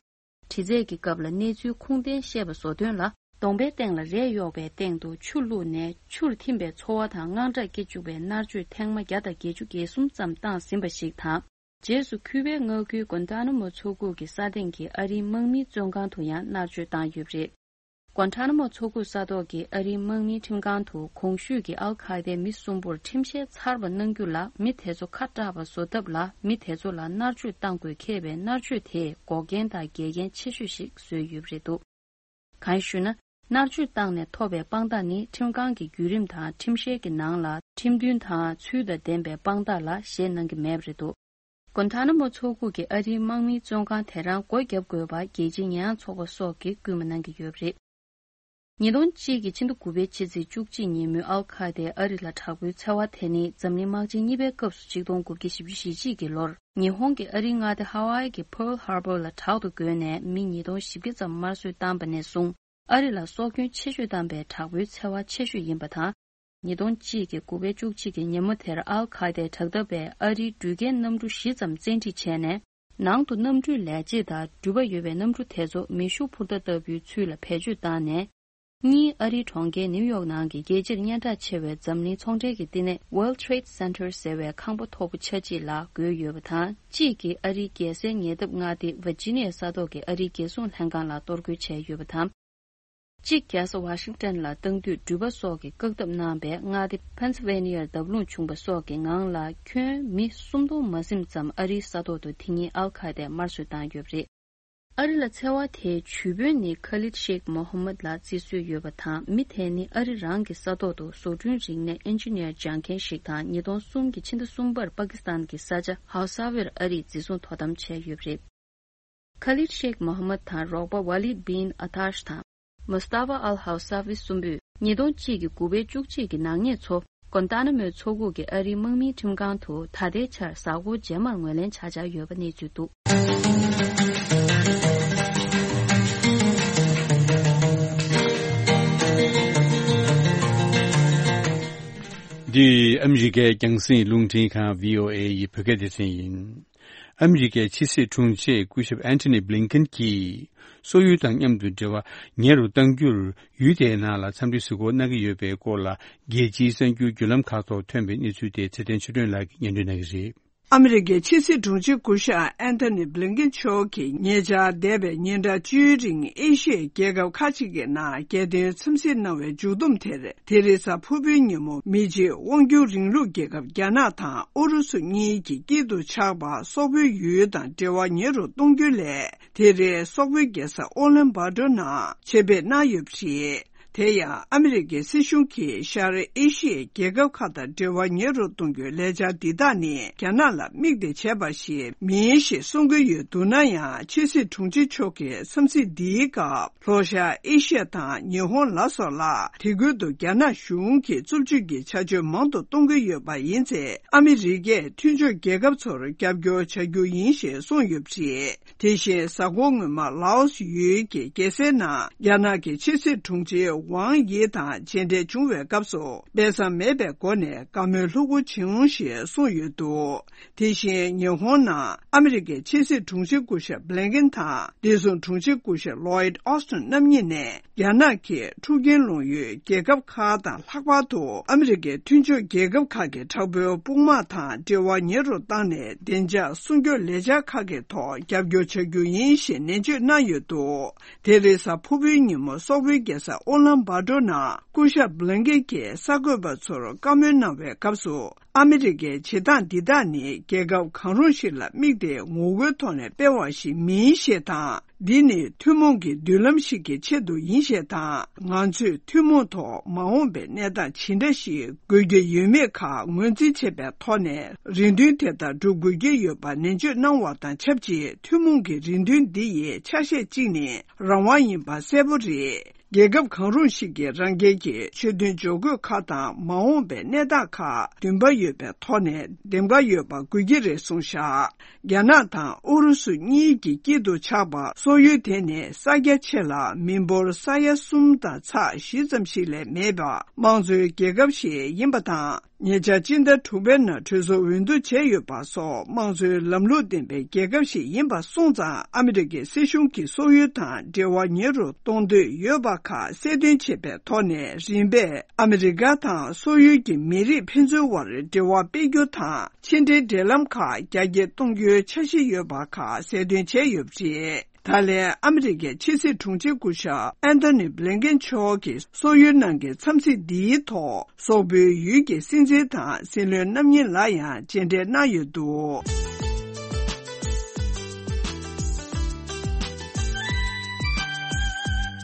དྲི་རྩད་ཀྱི་སྐབས་ལ་གནས་ཚུལ་ཁུངས་ལྡན་བཤད་པ་བཟོ་དོན་ལ། གདོང་པའི་སྟེང་ལ་རས་གཡོགས་པའི་སྟེང་དུ་ཆུ་བླུགས་ནས་ཆུར་ཐིམ་པའི་ཚོར་བ་དང་དངངས་སྐྲག་སྐྱེ་བཅུག་པའི་མནར་གཅོད་ཐེངས་མ་བརྒྱ་དང་བརྒྱད་ཅུ་གྱ་གསུམ་ཙམ་བཏང་ཟིན་པ་ཞིག་དང་། རྗེས་སུ་ཁུ་པའི་མངའ་ཁུལ་གུན་ཏཱ་ན་མོ་མཚོ་ཁུག་གི་ས་སྟེང་གི་ཨ་རིའི་དམག་མིའི་བཙོན་ཁང་དུ་ཡང་མནར་གཅོད་བཏང་ཡོད་པ་རེད། གུན་ཏཱ་ན་མོ་མཚོ་ཁུག་ས་ཐོག་གི་ཨ་རིའི་དམག་མིའི་ཁྲིམས་ཁང་དུ་གོང་ཞུས་ཀྱི་ཨལ་ཁ་ཏའི་མི་གསུམ་པོར་ཁྲིམས་བཤེར་ཚར་བ་གནང་རྒྱུ་ལ་མི་དེ་ཚོ་ཁ་སྐྲག་པ་བཟོ་ཐབས་ལ་མི་དེ་ཚོ་ལ་མནར་གཅོད་བཏང་དགོས་འཁེལ་བའི་མནར་གཅོད་དེས་འགོག་རྐྱེན་དང་འགལ་རྐྱེན་ཆེ་ཤོས་ཤིག་བཟོས་ཡོད་པ་རེད་འདུག་གང་ཞུས་ན། མནར་གཅོད་བཏང་ནས་ཐོབ་པའི་དཔང་རྟགས་ནི་ཁྲིམས་ཁང་གི་བརྒྱུད་རིམ་དང་ཁྲིམས་བཤེར་གྱི་ནང་ལ་ཁྲིམས་མཐུན་དང་ཚུལ་དང་ལྡན་པའི་དཔང་རྟགས་ལ་བཞེས་གནང་གི་མེད་པ་རེད་འདུག་གུན་ཐ་ན་མོ་མཚོ་ཁུག་གི་ཨ་རིའི་དམག་མིའི་བཙོན་ཁང་དེ་རང་སྒོ་བརྒྱབ་དགོས་པ་རྒྱལ་སྤྱིའི་ཉེས་ཡངས་ཚོགས་པ་སོགས་ཀྱིས་སྐུལ་མ་གནང་གི་ཡོད་པ་རེད། ཉིས་སྟོང་གཅིག་གི་ཕྱི་ཟླ་དགུ་པའི་ཕྱི་ཚེས་བཅུ་གཅིག་ཉིན་མོའི་ཨལ་ཁ་ཏའི་ཨ་རི་ལ་དྲག་པོའི་འཚེ་བ་དེ་ནི་འཛམ་གླིང་དམག་ཆེན་གཉིས་པའི་སྐབས་སུ་ཆིག་སྟོང་དགུ་བརྒྱ་བཞི་བཅུ་ཞེ་གཅིག་གི་ལོར་ཉི་ཧོང་གི་ཨ་རིའི་མངའ་སྡེ་ཧ་ཝའི་གི་Pearl Harbor ལ་དྲག་ཏུ་རྒོལ་ནས་མི་ཉིས་སྟོང་བཞི་བརྒྱ་ཙམ་དམར་གསོད་བཏང་པ་ནས་བཟུང་ཨ་རི་ལ་སྲོག་སྐྱོན་ཆེ་ཤོས་བཏང་པའི་དྲག་པོའི་འཚེ་བ་ཆེ་ཤོས་ཡིན་པ་དང་། ཉིས་སྟོང་གཅིག་གི་དགུ་པའི་བཅུ་གཅིག་གི་ཉིན་མོ་དེར་ཨལ་ཁ་ཏའི་དྲག་འཐབ་པས་ཨ་རིའི་འགྲུལ་སྐྱེལ་གནམ་གྲུ་བཞི་ཙམ་བཙན་ཁྲིད་བྱས་ནས། ནང་དུ་གནམ་གྲུའི་ལས་བྱེད་དང་འགྲུལ་པ་ཡོད་པའི་གནམ་གྲུ་དེ་ཚོ་མེ་ཤུགས་འཕུར་མདའ་ལྟ་བུའི་ཚུལ་ལ་བེད་སྤྱོད་བཏང་ནས། གཉིས། ཨ་རིའི་གྲོང་ཁྱེར་ནིའུ་ཡོག་ནང་གི་རྒྱལ་སྤྱིར་སྙན་གྲགས་ཆེ་བའི་འཛམ་གླིང་ཚོང་འབྲེལ་གྱི་བསྟི་གནས་World Trade Center ཟེར་བའི་ཁང་པ་མཐོ་པོ་ཆ་གཅིག་ལ་བགོས་ཡོད་པ་དང་། གཅིག་གིས་ཨ་རིའི་རྒྱལ་སའི་ཉེ་འདབས་མངའ་སྡེ་ཝར་ཇི་ནི་ཡ་ས་ཐོག་གི་ཨ་རིའི་རྒྱལ་སྲུང་ལྷན་ཁང་ལ་གཏོར་རྒོལ་བྱས་ཡོད་པ་དང་། གཅིག་རྒྱལ་ས་ཝ་ཤིང་ཏན་ལ་བཏང་དུས་འགྲུལ་པ་སོགས་ཀྱིས་བཀག་སྡོམ་གནང་བས་མངའ་སྡེ་ཕེན་སིལ་ཝེ་ནི་ཡར་བརྡབ་ལྷུང་བྱུང་བ་སོགས་ཀྱི་ངང་ལ་ཁྱོན་མི་སུམ་སྟོང་མ་ཟིན་ཙམ་ཨ་རིའི་ས་ཐོག་ཏུ་དེ་ཉིན་ཨལ་ཁ་ཏས་དམར་གསོད་བཏང་ཡོད་པ་རེད། ཨ་རི་ལ་འཚེ་བ་དེའི་ཇུས་འབོན་ནི་ཁ་ལིད་ཤེག་མོ་ཧ་མད་ལ་བརྩི་སྲོལ་ཡོད་པ་དང་། མི་དེ་ནི་ཨ་རི་རང་གི་ས་ཐོག་ཏུ་བཟོ་སྐྲུན་རིག་གནས་ཨིན་ཇི་ནི་ཡར་སྦྱང་མཁན་ཞིག་དང་། ཉིས་སྟོང་གསུམ་གྱི་ཕྱི་ཟླ་གསུམ་པར་པ་ཀི་སི་ཐན་གྱི་ས་ཆ་ཧའུ་ས་ཝིར་ཨ་རིས་འཛིན་བཟུང་དོ་དམ་བྱས་ཡོད་པ་རེད། ཁ་ལིད་ཤེག་མོ་ཧ་མད་དང་རོགས་པ་ཝ་ལིད་བིན་ཨ་ཐཱཤ་དང་། མུ་སྟཱ་ཧྥ་ཨལ་ཧའུ་ས་ཝི་གསུམ་པོས་ཉིས་སྟོང་གཅིག་གི་དགུ་པའི་བཅུ་གཅིག་གི་ནག་ཉེས་ཚོ་གོན་ཏཱ་ན་མོའི་མཚོ་ཁུག་གི་ཨ་རིའི་དམག་མིའི་ཁྲིམས་ཁང་དུ་ད་ལྟའི་ཆར་གཟའ་འཁོར་རྗེས་མར་ངོས་ལེན་བྱ་འཆར་ཡོད་པ་གནས་ཚུལ་འདུག་འདི་ཨ་མི་རི་ཀའི་རྒྱང་སྲིང་རླུང་འཕྲིན་ཁང་བྷི་ཨོ་ཨེ་ཡི་བོད་སྐད་སྡེ་ཚན་ཡིན། ཨ་མི་རི་ཀའི་ཕྱི་སྲིད་དྲུང་ཆེ་སྐུ་ཞབས་ཨན་ཐོ་ནི་བྷི་ལིན་ཀེན་གྱིས། སོག་ཡུལ་དང་མཉམ་དུ་འབྲེལ་བ་ཉེ་རུ་གཏང་རྒྱུར་ཡུལ་དེའི་ནང་ལ་འཚམས་འདྲི་གཟིགས་སྐོར་གནང་གི་ཡོད་པའི་སྐོར་ལ། རྒྱལ་སྤྱིའི་གསར་འགྱུར་བརྒྱུད་ལམ་ཁག་ཐོག་ཐོན་པའི་གནས་ཚུལ་དེ་ཚེ་བརྟན་ཆོས་སྒྲོན་ལགས་ཀྱིས་སྙན་སྒྲོན་གནང་གི་རེད། ཨ་མི་རི་ཀའི་ཕྱི་སྲིད་དྲུང་ཆེ་སྐུ་ཞབས་ཨན་ཐོ་ནི་བྷི་ལིན་ཀེན་མཆོག་གིས་ཉེ་ཆར་འདས་པའི་ཉིན་གྲངས་བཅུའི་རིང་ཨེ་ཤི་ཡའི་རྒྱལ་ཁབ་ཁག་ཅིག་གི་ནང་རྒྱལ་དོན་འཚམས་གཟིགས་གནང་བའི་མཇུག་བསྡོམས་དེར། དེ་རིང་གཟའ་ཕུར་བུའི་ཉིན་མོ་མི་རྗེས་དབང་སྒྱུར་རིང་ལུགས་རྒྱལ་ཁབ་རྒྱ་ནག་དང་ཨུ་རུ་སུ་གཉིས་ཀྱི་དཀྱིལ་དུ་ཆགས་པ་སོག་པོའི་ཡུལ་དང་འབྲེལ་བ་ཉེ་རུ་གཏོང་རྒྱུ་ལས། དེ་རིང་སོག་པོའི་རྒྱལ་ས་ཨོ་ལན་བྷ་ཏོ་ནང་ཆེད་ཕེབས་གནང་ཡོད་པ་རེད། དེ་ཡང་ཨ་མི་རི་ཀའི་སྲིད་གཞུང་གིས་ཤར་ཨེ་ཤི་ཡའི་རྒྱལ་ཁབ་ཁག་དང་འབྲེལ་བ་ཉེ་རུ་གཏོང་རྒྱུའི་ལས་འཆར་འདི་དག་ནི་རྒྱ་ནག་ལ་དམིགས་ཏེ་བྱས་པ་ཞིག་མིན་ཞེས་གསུང་གི་ཡོད་འདུག་ན་ཡང་། ཕྱི་སྲིད་དྲུང་ཆེ་མཆོག་གིས་འཚམས་གཟིགས་འདིའི་སྐབས། ལྷོ་ཤར་ཨེ་ཤི་ཡ་དང་ཉི་ཧོང་ལ་སོགས་ལ་དེ་ཁུལ་དུ་རྒྱ་ནག་གཞུང་གིས་རྩུབ་སྤྱོད་ཀྱི་བྱ་སྤྱོད་མང་དུ་གཏོང་གི་ཡོད་པ་ཡིན་ཚེ། ཨ་མི་རི་ཀས་མཐུན་ཕྱོགས་རྒྱལ་ཁབ་ཚོར་རྒྱབ་སྐྱོར་བྱ་རྒྱུ་ཡིན་ཞེས་གསུངས་ཡོད་པ་རེད། དེ་བཞིན་གཟའ་འཁོར་སྔོན་མ་ལའོ་སི་ཡུལ་གྱི་རྒྱལ་སའི་ནང་རྒྱ་ནག་གི་ཕྱི་སྲིད་དྲུང་ཆེ་ཝང་ཡི་དང་མཇལ་འཕྲད་བྱུང་བའི་སྐབས་སུ། སྦས་གསང་མེད་པའི་སྒོ་ནས་བཀའ་མོལ་ལྷུག་པོ་བྱུང་ཞེས་གསུངས་ཡོད་འདུག་དེ་བཞིན་ཉི་ཧོང་ནང་ཨ་མི་རི་ཀའི་ཕྱི་སྲིད་དྲུང་ཆེ་སྐུ་ཞབས་བྷི་ལིན་ཀེན་དང་བདེ་སྲུང་དྲུང་ཆེ་སྐུ་ཞབས་ལོའིད་ཨོ་སྟོན་རྣམ་གཉིས་ནས། རྒྱ་ནག་གིས་འཁྲུག་རྐྱེན་སློང་ཡུལ་རྒྱལ་ཁབ་ཁག་དང་། ལྷག་པར་དུ་ཨ་མི་རི་ཀའི་མཐུན་ཕྱོགས་རྒྱལ་ཁབ་ཁག་གི་དྲག་པོའི་དཔུང་དམག་དང་འབྲེལ་བ་ཉེ་རུ་བཏང་ནས། བདེ་འཇགས་སྲུང་སྐྱོབ་ལས་འཆར་ཁག་གི་ཐོག་རྒྱབ་སྐྱོར་བྱ་རྒྱུ་ཡིན་ཞེས་ནན་བརྗོད་གནང་ཡོད་འདུག་དེ་རིང་གཟའ་ཕུར་བུའི་ཉིན་མོ་སོག་པོའི་རྒྱལ་ས་ཨུ་ལན་བྷ་ཏོར་ནང་སྐུ་ཞབས་བྷི་ལིན་ཀེན་གྱིས་གསར་འགོད་པ་ཚོར་བཀའ་མོལ་གནང་བའི་སྐབས་སུ། ཨ་མི་རི་ཀའི་བྱེད་སྟངས་འདི་དག་ནི་རྒྱལ་ཁབ་གང་རུང་ཞིག་ལ་དམིགས་ཏེ་ངོ་རྒོལ་ཐོག་ནས་སྤེལ་བ་ཞིག་མིན་ཞེས་དང་། འདི་ནི་ཐུན་མོང་གི་མདུན་ལམ་ཞིག་གི་ཆེད་དུ་ཡིན་ཞེས་དང་། ང་ཚོས་ཐུན་མོང་ཐོག་མ་འོངས་པའི་གནས་སྟངས་ཇི་འདྲ་ཞིག་དགོས་ཀྱི་ཡོད་མེད་ཁག་ངོས་འཛིན་བྱེད་པའི་ཐོག་ནས། རེ་འདུན་དེ་ལྟར་སྒྲུབ་དགོས་ཀྱི་ཡོད་པ་ནན་བརྗོད་གནང་བ་དང་ཆབས་ཅིག་ཐུན་མོང་གི་རེ་འདུན་འདི་ཡི་ཆ་ཤས་གཅིག་ནི་རང་དབང་ཡིན་པ་གསལ་པོ་རེད། རྒྱལ་ཁབ་གང་རུང་ཞིག་གིས་རང་རྒྱལ་གྱི་ཆོད་དོན་འཇོག་དགོས་ཁག་དང་། མ་འོངས་པའི་གནས་སྟངས་ཁག་འདུན་པ་ཡོད་པའི་ཐོག་ནས་འདེམས་ཀ་ཡོད་པ་དགོས་ཀྱི་རེད་གསུངས་བཞག་རྒྱ་ནག་དང་ཨུ་རུ་སུ་གཉིས་ཀྱི་དཀྱིལ་དུ་ཆགས་པ་སོག་ཡུལ་དེ་ནི་ས་རྒྱ་ཆེ་ལ་མི་འབོར་ས་ཡ་གསུམ་དང་ཚེག་བཞི་ཙམ་ཞིག་ལས་མེད་པ་དམངས་གཙོའི་རྒྱལ་ཁབ་ཞིག་ཡིན་པ་དང་། ཉེ་ཆར་སྤྱི་ཟླ་དྲུག་པའི་ནང་གྲོས་ཚོགས་འོས་བསྡུ་བྱས་ཡོད་པ་སོགས་དམངས་གཙོའི་ལམ་ལུགས་ལྡན་པའི་རྒྱལ་ཁབ་ཞིག་ཡིན་པ་སོང་ཙང་། ཨ་མི་རི་ཀའི་སྲིད་གཞུང་གིས་སོག་ཡུལ་དང་འབྲེལ་བ་ཉེ་རུ་གཏོང་འདོད་ཡོད་པ་ཁག་གསལ་སྟོན་བྱེད་པའི་ཐོག་ནས། རིམ་པས་ཨ་མི་རི་ཀ་དང་སོག་ཡུལ་གྱི་མི་རིགས་ཕན་ཚུན་བར་འབྲེལ་བ་སྤེལ་རྒྱུ་དང་། ཕྱི་འབྲེལ་འབྲེལ་ལམ་ཁག་རྒྱ་སྐྱེད་གཏོང་རྒྱུའི་འཆར་གཞི་ཡོད་པ་ཁག་གསལ་སྟོན་བྱས་ཡོད་པ་རེད། ད་ལན་ཨ་མི་རི་ཀའི་ཕྱི་སྲིད་དྲུང་ཆེ་སྐུ་ཞབས་ཨན་ཐོ་ནི་བྷི་ལིན་ཀེན་མཆོག་གིས་སོག་ཡུལ་ནང་གི་འཚམས་གཟིགས་འདིའི་ཐོག་སོག་པོའི་ཡུལ་གྱི་སྲིད་འཛིན་དང་སྲིད་བློན་རྣམ་གཉིས་ལ་ཡང་མཇལ་འཕྲད་གནང་ཡོད་འདུག་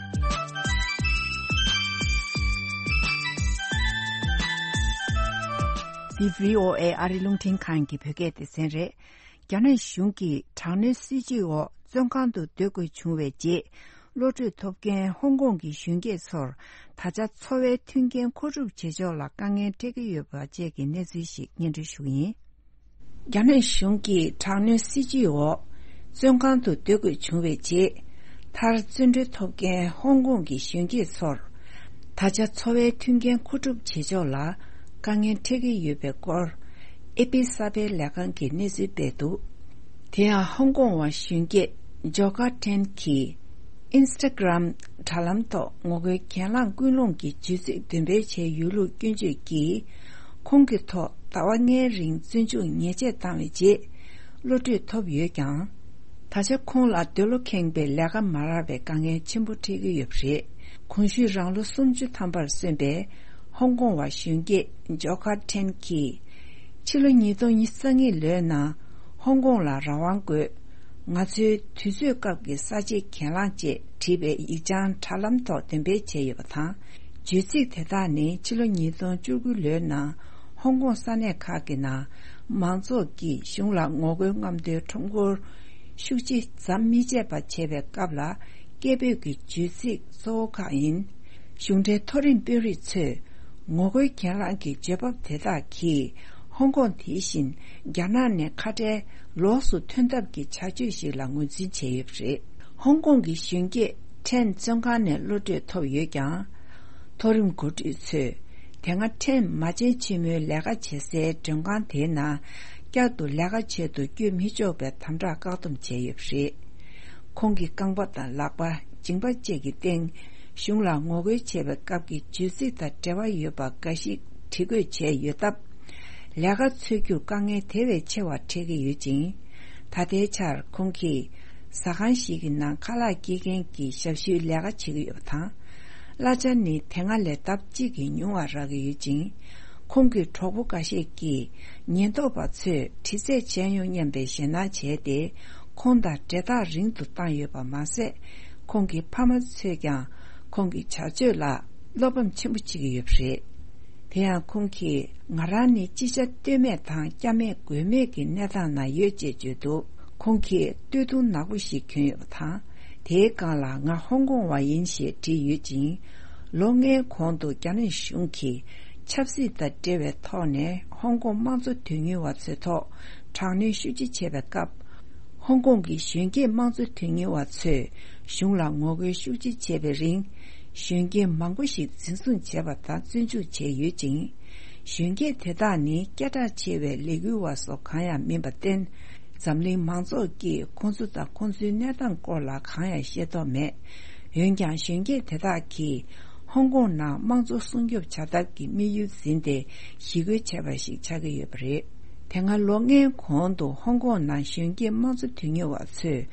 འདི་བྷི་ཨོ་ཨེ་ཨ་རི་རླུང་འཕྲིན་ཁང་གི་བོད་སྐད་སྡེ་ཚན་རེད། རྒྱ་ནག་གཞུང་གིས་དྲག་གནོན་སྲིད་བྱུས་འོག་བཙོན་ཁང་དུ་སྡོད་དགོས་བྱུང་བའི་རྗེས། གློད་གྲོལ་ཐོབ་མཁན་ཧོང་ཀོང་གི་གཞོན་སྐྱེས་ཚོར་ད་ཆ་འཚོ་བའི་མཐུན་རྐྱེན་མཁོ་སྒྲུབ་བྱེད་ཕྱོགས་ལ་དཀའ་ངལ་འཕྲད་ཀྱི་ཡོད་པ་བཅས་ཀྱི་གནས་ཚུལ་ཞིག་སྙན་སྒྲོན་ཞུ་གི་ཡིན། རྒྱ་ནག་གཞུང་གིས་དྲག་གནོན་སྲིད་བྱུས་འོག་བཙོན་ཁང་དུ་སྡོད་དགོས་བྱུང་བའི་རྗེས། མཐར་བཙོན་གྲོལ་ཐོབ་མཁན་ཧོང་ཀོང་གི་གཞོན་སྐྱེས་ཚོར་ད་ཆ་འཚོ་བའི་མཐུན་རྐྱེན་མཁོ་སྒྲུབ་བྱེད་ཕྱོགས་ལ་དཀའ་ངལ་འཕྲད་ཀྱི་ཡོད་པའི་སྐོར། ཨེ་པི་གསར་སྤེལ་ལས་ཁང་གིས་གནས་ཚུལ་སྤེལ་འདུག་དེ་ཡང་ཧོང་ཀོང་བ་གཞོན་སྐྱེས་ཇོ་ཀ་ཐེན་གྱིས་ཨིན་སི་ཊ་གྷི་རམ་དྲ་ལམ་ཐོག་ངོ་རྒོལ་གྱེན་ལངས་ཀུན་སློང་གི་བརྗོད་ཚིག་འདོན་སྤེལ་བྱས་ཡོད་ལུགས་སྐྱོན་བརྗོད་ཀྱིས། ཁོང་གི་ཐོག་ཟླ་བ་ལྔའི་རིང་བཙོན་འཇུག་ཉེས་ཆད་བཏང་བའི་རྗེས། གློད་གྲོལ་ཐོབ་ཡོད་ཀྱང་། ད་ཆ་ཁོང་ལ་འདོད་བློ་ཁེངས་པའི་ལས་ཀ་མ་རག་པའི་དཀའ་ངལ་ཆེན་པོ་འཕྲད་ཀྱི་ཡོད་པ་རེད། གོང་ཞུས་རང་ལོ་སུམ་ཅུ་ཐམ་པར་སོན་པའི་ཧོང་ཀོང་བ་གཞོན་སྐྱེས་ཇོ་ཁ་ཐེན་གྱིས། ཕྱི་ལོ་ཉིས་སྟོང་ཉི་ཤུ་རྩ་གཉིས་ལོའི་ནང་ཧོང་ཀོང་ལ་རང་དབང་དགོས། ང་ཚོའི་དུས་ཚོད་སྐབས་ཀྱི་གསར་བརྗེ་གྱེན་ལངས་ཅེས་བྲིས་པའི་ཡིག་བྱང་དྲ་ལམ་ཐོག་འདོན་སྤེལ་བྱས་ཡོད་པ་དང་། བརྗོད་ཚིག་དེ་དག་ནི་ཕྱི་ལོ་ཉིས་སྟོང་བཅུ་དགུ་ལོའི་ནང་ཧོང་ཀོང་ས་གནས་ཁག་གི་ནང་མང་ཚོགས་ཀྱིས་གཞུང་ལ་ངོ་རྒོལ་རྔམ་སྟོན་ཁྲོམ་སྐོར་ཤུགས་ཆེ་ཙམ་མི་བྱེད་པ་བྱས་པའི་སྐབས་ལ་སྐད་འབོད་ཀྱི་བརྗོད་ཚིག་གཙོ་བོ་ཁག་ཡིན། གཞུང་འབྲེལ་མཐོ་རིམ་དཔོན་རིགས་ཚོས་ངོ་རྒོལ་གྱེན་ལངས་ཀྱི་བརྗོད་བབ་དེ་དག་གིས་ཧོང་ཀོང་དེ་བཞིན་རྒྱ་ནག་ནས་ཁ་བྲལ་ལོགས་སུ་ཐོན་ཐབས་ཀྱི་བྱ་སྤྱོད་ཞིག་ལ་ངོས་འཛིན་བྱས་ཡོད་པ་རེད། ཧོང་ཀོང་གི་གཞོན་སྐྱེས་ཁྲེན་བཙོན་ཁང་ནས་གློད་གྲོལ་ཐོབ་ཡོད་ཀྱང་། མཐོ་རིམ་འགོ་ཁྲིད་ཚོས་དེ་སྔ་ཁྲེན་མ་བྱན་ཆེན་མོའི་ལས་ཀ་བྱེད་སའི་མགྲོན་ཁང་དེའི་ནང་བསྐྱར་དུ་ལས་ཀ་བྱེད་དུ་བསྐྱོད་མི་ཆོག་པའི་དམ་དྲག་བཀག་སྡོམ་བྱས་ཡོད་པ་རེད། ཁོང་གི་རྐང་པ་དང་ལག་པ་མཇིང་པ་བཅས་ཀྱི་སྟེང་གཞུང་ལ་ངོ་རྒོལ་བྱེད་པའི་སྐབས་ཀྱི་བརྗོད་ཚིག་དང་འབྲེལ་བ་ཡོད་པ་འགའ་ཞིག་བྲིས་འགོད་བྱས་ཡོད་སྟབས། ལས་ཀ་འཚོལ་རྒྱུར་དཀའ་ངལ་དེ་བས་ཆེ་བ་འཕྲད་ཀྱི་ཡོད་ཅིང་། ད་ལྟའི་ཆར་ཁོང་གིས་ཟ་ཁང་ཞིག་གི་ནང་ཁ་ལག་སྐྱེལ་མཁན་གྱི་ཞབས་ཞུའི་ལས་ཀ་བྱེད་ཀྱི་ཡོད་པ་དང་། གླ་ཆ་ནི་དེ་སྔ་ལས་ལྡབ་གཅིག་གིས་ཉུང་བ་རག་གི་ཡོད་ཅིང་། ཁོང་གི་གྲོགས་པོ་འགའ་ཤས་ཀྱིས་ཉེན་རྟོག་པ་ཚོས་དྲི་རྩད་བྱས་མྱོང་སྙམ་པའི་ཞེད་སྣང་བྱས་ཏེ། ཁོང་དང་འབྲེལ་ཐག་རིང་དུ་བཏང་ཡོད་པ་མ་ཟད། ཁོང་གི་ཕ་མ་ཚོས་ཀྱང་ཁོང་གི་བྱ་སྤྱོད་ལ། བློ་ཕམ་ཆེན་པོ་བྱེད་ཀྱི་ཡོད་པ་རེད། དེ་ཡང་ཁོང་གིས་ང་རང་ནི་ཅི་བྱ་གཏོལ་མེད་དང་སྐྱབས་མེད་མགོན་མེད་ཀྱི་གནས་སྟངས་ནང་ཡོད་ཅེས་བརྗོད་འདུག་ཁོང་གིས་སྟོད་ཐུང་ནག་པོ་ཞིག་གྱོན་ཡོད་པ་དང་། དེའི་སྒང་ལ་ང་ཧོང་ཀོང་བ་ཡིན་ཞེས་བྲིས་ཡོད་ཅིང་། ལོ་ལྔའི་གོང་དུ་རྒྱ་ནག་གཞུང་གིས་ཆབ་སྲིད་དང་འབྲེལ་བའི་ཐོག་ནས་ཧོང་ཀོང་དམངས་གཙོ་དོན་གཉེར་བ་ཚོའི་ཐོག་དྲག་གནོན་ཤུགས་ཆེ་བྱས་པའི་སྐབས། ཧོང་ཀོང་གི་གཞོན་སྐྱེས་དམངས་གཙོ་དོན་གཉེར་བ་ཚོས་གཞུང་ལ་ངོ་རྒོལ་ཤུགས་ཆེ་བྱས་པའི་རིང་། གཞོན་སྐྱེས་མང་པོ་ཞིག་འཛིན་བཟུང་བྱས་པ་དང་བཙོན་འཇུག་བྱས་ཡོད་ཅིང་། གཞོན་སྐྱེས་དེ་དག་ནི་སྐད་གྲགས་ཆེ་བའི་ལས་འགུལ་བ་སོགས་གང་ཡང་མིན་པར་བརྟེན། འཛམ་གླིང་མང་ཚོགས་ཀྱིས་ཁོང་ཚོ་དང་ཁོང་ཚོའི་གནས་སྟངས་སྐོར་ལ་གང་ཡང་ཤེས་རྟོགས་མེད། འོན་ཀྱང་། གཞོན་སྐྱེས་དེ་དག་གིས་ཧོང་ཀོང་ནང་དམངས་གཙོ་སྲུང་སྐྱོབ་བྱ་ཐབས་ཀྱི་དམིགས་ཡུལ་འཛིན་ཏེ་ཞི་རྒོལ་བྱས་པ་ཞིག་ཆགས་ཀྱི་ཡོད་པ་རེད། དེ་སྔ་ལོ་ལྔའི་གོང་དུ་ཧོང་ཀོང་ནང་གཞོན་སྐྱེས་དམངས་གཙོ་དོན་གཉེར་བ་ཚོས་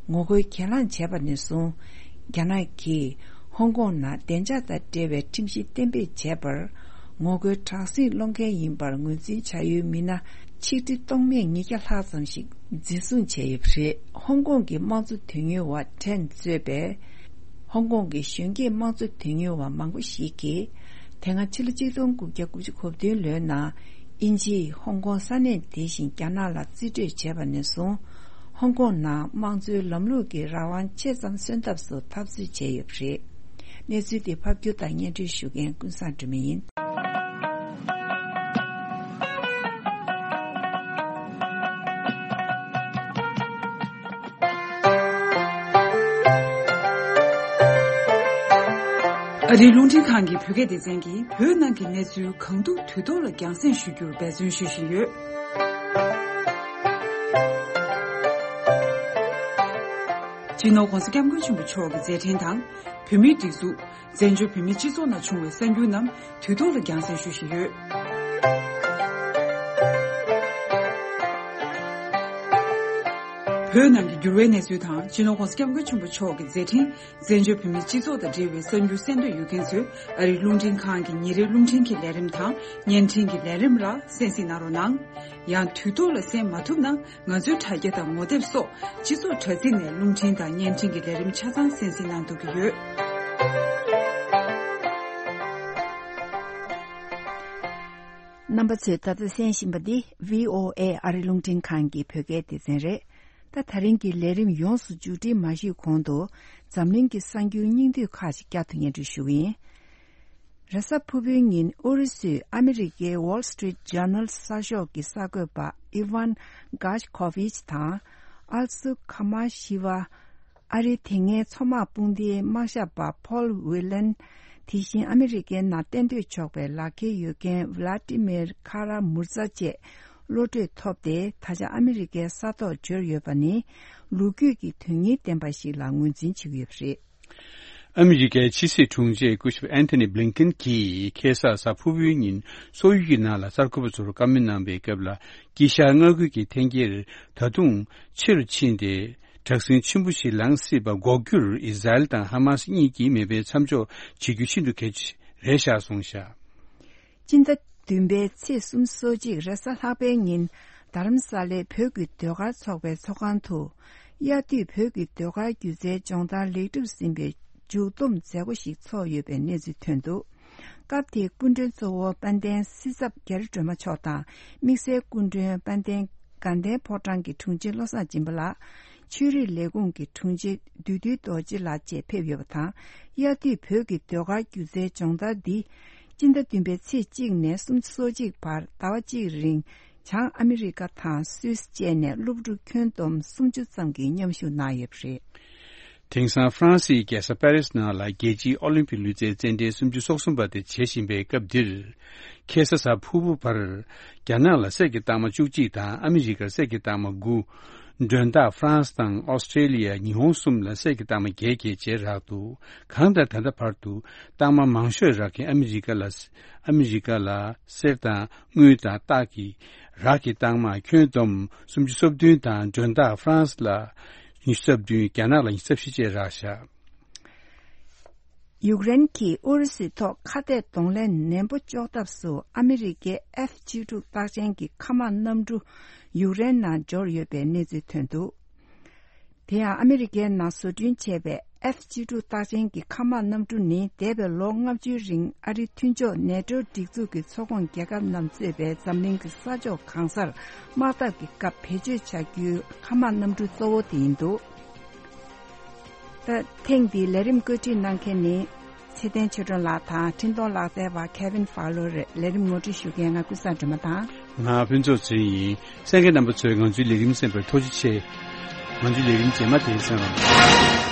ངོ་རྒོལ་གྱེན་ལངས་བྱས་པ་ནས་བཟུང་། རྒྱ་ནག་གིས་ཧོང་ཀོང་ནང་བདེ་འཇགས་དང་འབྲེལ་བའི་ཁྲིམས་གཞི་གཏན་འབེབས་བྱས་པར། ངོ་རྒོལ་དྲག་ཟིང་སློང་མཁན་ཡིན་པར་ངོས་འཛིན་བྱ་ཡུལ་མི་སྣ་ཆིག་ཁྲི་སྟོང་མེད་ཉིས་བརྒྱ་ལྷག་ཙམ་ཞིག་འཛིན་བཟུང་བྱས་ཡོད་པ་རེད། ཧོང་ཀོང་གི་དམངས་གཙོ་དོན་གཉེར་བ་ཁྲེན་གཙོས་པའི་ཧོང་ཀོང་གི་གཞོན་སྐྱེས་དམངས་གཙོ་དོན་གཉེར་བ་མང་པོ་ཞིག་གིས། དེ་སྔ་ཕྱི་ལོ་ཆིག་སྟོང་དགུ་བརྒྱ་དགུ་བཅུ་གོ་བདུན་ལོའི་ནང་། དབྱིན་ཇིས་ཧོང་ཀོང་ས་གནས་དེ་བཞིན་རྒྱ་ནག་ལ་རྩིས་སྤྲོད་བྱས་པ་ནས་བཟུང་། ཧོང་ཀོང་ནང་དམངས་གཙོའི་ལམ་ལུགས་ཀྱི་རང་དབང་ཆེ་ཙམ་སོན་ཐབས་སུ་འཐབ་རྩོད་བྱས་ཡོད་པ་རེད། གནས་ཚུལ་དེ་ཕབ་སྒྱུར་དང་སྙན་སྒྲོན་ཞུ་མཁན་ཀུན་བཟང་སྒྲོལ་མ་ཡིན། ཨ་རིའི་རླུང་འཕྲིན་ཁང་གི་བོད་སྐད་སྡེ་ཚན་གྱིས་བོད་ནང་གི་གནས་ཚུལ་གང་ཐུབ་དུས་ཐོག་ལ་རྒྱང་སྲིང་ཞུ་རྒྱུར་འབད་བརྩོན་ཞུ་བཞིན་ཡོད། སྤྱི་ནོར་༧གོང་ས་༧སྐྱབས་མགོན་ཆེན་པོ་མཆོག་གི་མཛད་འཕྲིན་དང་། བོད་མིའི་སྒྲིག་འཛུགས། བཙན་བྱོལ་བོད་མིའི་སྤྱི་ཚོགས་ནང་བྱུང་བའི་གསར་འགྱུར་རྣམས་དུས་ཐོག་ལ་རྒྱང་སྲིང་ཞུ་བཞིན་ཡོད། བོད་ནང་གི་འགྱུར་བའི་གནས་ཚུལ་དང་། སྤྱི་ནོར་༧གོང་ས་༧སྐྱབས་མགོན་ཆེན་པོ་མཆོག་གི་མཛད་འཕྲིན། བཙན་བྱོལ་བོད་མིའི་སྤྱི་ཚོགས་དང་འབྲེལ་བའི་གསར་འགྱུར་གསན་འདོད་ཡོད་མཁན་ཚོས། ཨ་རིའི་རླུང་འཕྲིན་ཁང་གི་ཉིན་རེའི་རླུང་འཕྲིན་གྱི་ལས་རིམ་དང་། བརྙན་འཕྲིན་གྱི་ལས་རིམ་ལ་གསན་གཟིགས་གནང་རོགས་གནང་། ཡང་། དུས་ཐོག་ལ་གསན་མ་ཐུབ་ན། ང་ཚོའི་དྲ་རྒྱ་དང་ངོ་དེབ་སོགས་སྤྱི་ཚོགས་དྲ་ཚིགས་ནས་རླུང་འཕྲིན་དང་བརྙན་འཕྲིན་གྱི་ལས་རིམ་ཆ་ཚང་གསན་གཟིགས་གནང་ཐུབ་ཀྱི་ཡོད། རྣམ་པ་ཚོས་ད་ལྟ་གསན་བཞིན་པ་འདི་བྷི་ཨོ་ཨེ་ཨ་རི་རླུང་འཕྲིན་ཁང་གི་བོད་སྐད་སྡེ་ཚན་རེད། ད། ད་རིང་གི་ལས་རིམ་ཡོངས་སུ་མཇུག་སྒྲིལ་མ་ཞུས་གོང་དུ། འཛམ་གླིང་གི་གསར་འགྱུར་སྙིང་བསྡུས་ཁག་ཅིག་བསྐྱར་དུ་སྙན་སྒྲོན་ཞུ་གི་ཡིན། རེས་གཟའ་ཕུར་བུའི་ཉིན་ཨུ་རུ་སུས་ཨ་མི་རི་ཀའི་Wall Street Journal་གསར་ཤོག་གི་གསར་འགོད་པ་Evan Gershkovich་དང་། ཨལ་སུ་ཁ་མ་ཤི་ཝ། ཨ་རིའི་དེ་སྔའི་མཚོ་དམག་དཔུང་སྡེའི་དམག་ཞབས་པ་Paul Whelan། དེ་བཞིན་ཨ་མི་རི་ཀའི་ནང་གཏན་སྡོད་ཆོག་པའི་ལག་ཁྱེར་ཡོད་མཁན་Vladimir Kara-Murza་བཅས་བློ་གྲོས་ཐོབ་སྟེ། ད་ཆ་ཨ་མི་རི་ཀའི་ས་ཐོག་འབྱོར་ཡོད་པ་ནི་ལོ་རྒྱུས་ཀྱི་དོན་སྙིང་ལྡན་པ་ཞིག་ལ་ངོས་འཛིན་བྱེད་ཀྱི་ཡོད་པ་རེད། ཨ་མི་རི་ཀའི་ཕྱི་སྲིད་དྲུང་ཆེ་སྐུ་ཞབས་Antony Blinken་གྱིས་ཁ་སང་གཟའ་ཕུར་བུའི་ཉིན་སོག་ཡུལ་གྱི་ནང་ལ་གསར་འགོད་པ་ཚོར་བཀའ་མོལ་གནང་བའི་སྐབས་ལ། དཀྱིལ་ཤར་མངའ་ཁུལ་གྱི་འཐེན་འཁྱེར་ད་དུང་ཆེ་རུ་ཕྱིན་ཏེ། དྲག་ཟིང་ཆེན་པོ་ཞིག་ལངས་སྲིད་པ་འགོག་རྒྱུར་ཨི་ཟ་རེལ་དང་ཧ་མ་སི་གཉིས་ཀྱིས་མེ་འཕེན་མཚམས་འཇོག་བྱེད་རྒྱུ་ཤིན་ཏུ་གལ་ཆེ་རེད་ཤག་གསུངས་ཤག་སྤྱི་ཟླ་བདུན་པའི་ཚེས་སོ་གཅིག་རེས་གཟའ་ལྷག་པའི་ཉིན། རྡ་རམ་ས་ལའི་བོད་ཀྱི་ཟློས་གར་ཚོགས་པའི་ཚོགས་ཁང་དུ། དབྱར་དུས་བོད་ཀྱི་ཟློས་གར་སྒྱུ་རྩལ་སྦྱོང་བརྡར་ལེགས་གྲུབ་ཟིན་པའི་མཇུག་བསྡོམས་མཛད་སྒོ་ཞིག་ཚོགས་ཡོད་པའི་གནས་ཚུལ་ཐོན་འདུག་སྐབས་དེའི་སྐུ་མགྲོན་གཙོ་བོ་དཔལ་ལྡན་སྲིད་ཚབ་རྒྱ་རི་སྒྲོལ་མ་མཆོག་དང་། དམིགས་བསལ་སྐུ་མགྲོན་དཔལ་ལྡན་དགའ་ལྡན་ཕོ་བྲང་གི་དྲུང་ཆེ་བློ་བཟང་སྦྱིན་པ་ལགས། ཆོས་རིག་ལས་ཁུངས་ཀྱི་དྲུང་ཆེ་བདུད་འདུལ་རྡོ་རྗེ་ལགས་བཅས་ཕེབས་ཡོད་པ་དང་། དབྱར་དུས་བོད་ཀྱི་ཟློས་གར་སྒྱུ་རྩལ་སྦྱོང་བརྡར་འདི། སྤྱི་ཟླ་བདུན་པའི་ཚེས་གཅིག་ནས་སུམ་ཅུ་སོ་གཅིག་བར་ཟླ་བ་གཅིག་རིང་། བྱང་ཨ་མི་རི་ཀ་དང་སུད་སི་བཅས་ནས་སློབ་ཕྲུག་ཁྱོན་བསྡོམས་སུམ་ཅུ་ཙམ་གྱིས་མཉམ་ཞུགས་གནང་ཡོད་པ་རེད། དེང་སང་ཧྥ་རན་སིའི་རྒྱལ་ས་པེ་རིས་ནང་ལ་རྒྱལ་སྤྱིའི་ཨོ་ལིམ་པིག་ལུས་རྩལ་རྩེད་འགྲན་སུམ་ཅུ་སོ་གསུམ་པ་དེ་བྱེད་བཞིན་པའི་སྐབས་འདིར། ཁ་སང་གཟའ་ཕུར་བུ་བར། རྒྱ་ནག་ལ་གསེར་གྱི་རྟགས་མ་བཅུ་གཅིག་དང་ཨ་མི་རི་ཀར་གསེར་གྱི་རྟགས་མ་དགུ། མགྲོན་བདག་ཧྥ་རན་སི་དང་ཨོ་སི་ཀྲེ་ལི་ཡ། ཉི་ཧོང་གསུམ་ལ་གསེར་གྱི་རྟགས་མ་བརྒྱད་བརྒྱད་བཅས་རག་འདུག་གང་ལྟར་ད་ལྟ་བར་དུ་རྟགས་མ་མང་ཤོས་རག་མཁན་ཨ་མི་རི་ཀ་ལ། ཨ་མི་རི་ཀ་ལ་གསེར་དང་དངུལ་དང་སྟག་གི་རག་གི་རྟགས་མ་ཁྱོན་བསྡོམས་སུམ་ཅུ་སོ་བདུན་དང་། མགྲོན་བདག་ཧྥ་རན་སི་ལ་ཉི་ཤུ་རྩ་བདུན། རྒྱ་ནག་ལ་ཉི་ཤུ་རྩ་བཞི་བཅས་རག་བཞག་ཡུཀ་རེན་གྱིས་ཨུ་རུ་སུའི་ཐོག་ཁ་གཏད་གདོང་ལེན་ནན་པོ་གཅོག་ཐབས་སུ་ཨ་མི་རི་ཀའི་ཨེཕ་གཅིག་དྲུག་རྟགས་ཅན་གྱི་མཁའ་དམག་གནམ་གྲུ་ཡུཀ་རེན་ནང་འབྱོར་ཡོད་པའི་གནས་ཚུལ་ཐོན་འདུག་དེ་ཡང་ཨ་མི་རི་ཀའི་ནང་བཟོ་སྐྲུན་བྱས་པའི་ F་གཅིག་དྲུག་རྟགས་ཅན་གྱི་མཁའ་དམག་གནམ་གྲུ་ནི་འདས་པའི་ལོ་ལྔ་བཅུའི་རིང་ཨ་རིའི་མཐུན་ཕྱོགས་ནེ་ཏོའི་སྒྲིག་འཛུགས་ཀྱི་ཚོགས་ཁོངས་རྒྱལ་ཁབ་རྣམས་གཙོས་པའི་འཛམ་གླིང་གི་ས་ཕྱོགས་གང་སར་དམག་འཐབ་ཀྱི་སྐབས་བེད་སྤྱོད་བྱ་རྒྱུའི་མཁའ་དམག་གནམ་གྲུ་གཙོ་བོ་དེ་ཡིན་འདུག་ད་ཐེངས་འདིའི་ལས་རིམ་བཀོད་སྒྲིག་གནང་མཁན་ནི་ཚེ་བརྟན་ཆོས་སྒྲོན་ལགས་དང་འཕྲིན་གཏོང་ལག་རྩལ་བ་Kevin Fowler་རེད། ལས་རིམ་ངོ་སྤྲོད་ཞུ་མཁན་ང་ཀུན་བཟང་སྒྲོལ་མ་དང་། ང་ཕུན་ཚོགས་ཚེ་རིང་ཡིན། གསན་མཁན་རྣམ་པ་ཚོས་ང་ཚོའི་ལས་རིམ་གསན་པར་ཐུགས་རྗེ་ཆེ། ང་ཚོའི་ལས་རིམ་རྗེས་མ་དེ་གསན་རོགས།